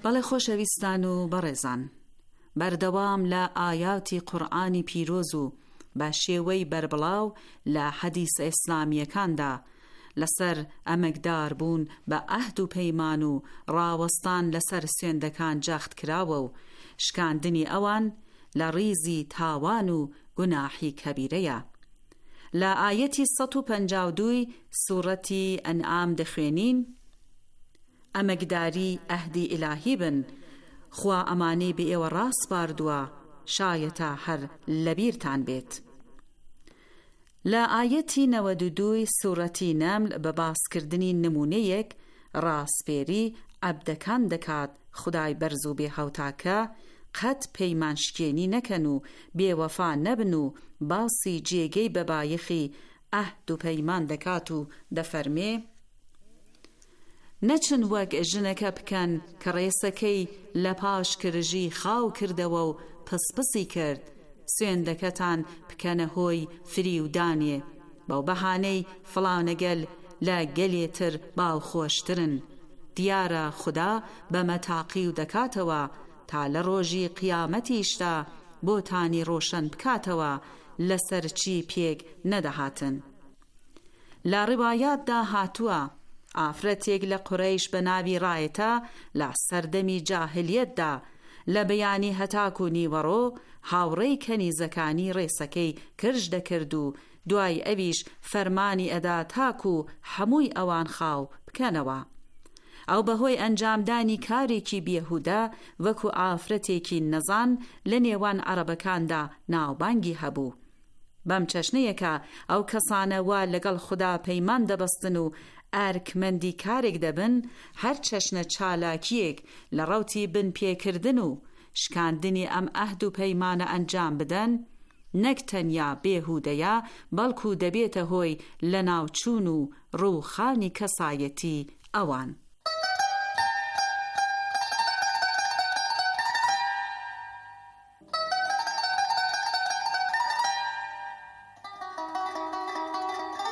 بەڵێ خۆشەویستان و بەڕێزان بەردەوام لە ئایاتی قورئانی پیرۆز و بە شێوەی بەربڵاو لە حەدیسە ئیسلامییەکاندا لەسەر ئەمەگدار بوون بە عەهد و پەیمان و ڕاوەستان لەسەر سوێندەکان جەخت کراوە و شکاندنی ئەوان لە ڕیزی تاوان و گوناحی کەبیرەیە. لە ئایەتی 152 ی سوڕەتی ئەنعام دەخوێنین، ئەمەگداری عەهدی ئیلاهی بن، خوا ئەمانەی بە ئێوە ڕاسپاردووە، شایەتە هەر لەبیرتان بێت. لە ئایەتی 92 ی سوڕەتی نەمل بە باسکردنی نموونەیەک ڕاسپێری عەبدەکان دەکات خودای بەرز و بێهاوتا کە قەت پەیمانشکێنی نەکەن و بێوەفا نەبن و باسی جێگەی بەبایەخی عەهد و پەیمان دەکات و دەفەرمێ، نەچن وەک ژنەکە بکەن کە ڕێسەکەی لە پاش کرژی خاو کردەوە و پسپسی کرد، سوێندەکەتان بکەنە هۆی فریودانێ، بەو بەهانەی فڵانە گەل لە گەلێ تر باوخۆشترن. دیارە خودا بەمە تاقیو دەکاتەوە تا لە ڕۆژی قیامەتیشدا بۆتانی ڕۆشەن بکاتەوە لەسەر چی پێک نەدەهاتن. لە ڕیوایاتدا هاتووە، ئافرەتێک لە قورەیش بە ناوی ڕایتە لە سەردەمی جاهلیەتدا لە بەیانی هەتاکوو نیوەڕۆ هاوڕێی کەنیزەکانی ڕێسەکەی کرژ دەکرد و دوای ئەویش فەرمانی ئەدا تاکوو حەمووی ئەوان خاو بکەنەوە. ئەو بە هۆی ئەنجامدانی کارێکی بێهودە وەکو ئافرەتێکی نەزان لە نێوان عەڕەبەکاندا ناوبانگی هەبوو. بەم چەشنەیە کە ئەو کەسانە وا لەگەڵ خودا پەیمان دەبەستن و ئەرکمەندی کارێک دەبن، هەر چەشنە چالاکییەک لە ڕەوتی بنپێکردن و شکاندنی ئەم عەهد و پەیمانە ئەنجام بدەن، نەک تەنیا بێهودەیە، بەڵکو دەبێتە هۆی لەناوچوون و ڕووخانی کەسایەتی ئەوان.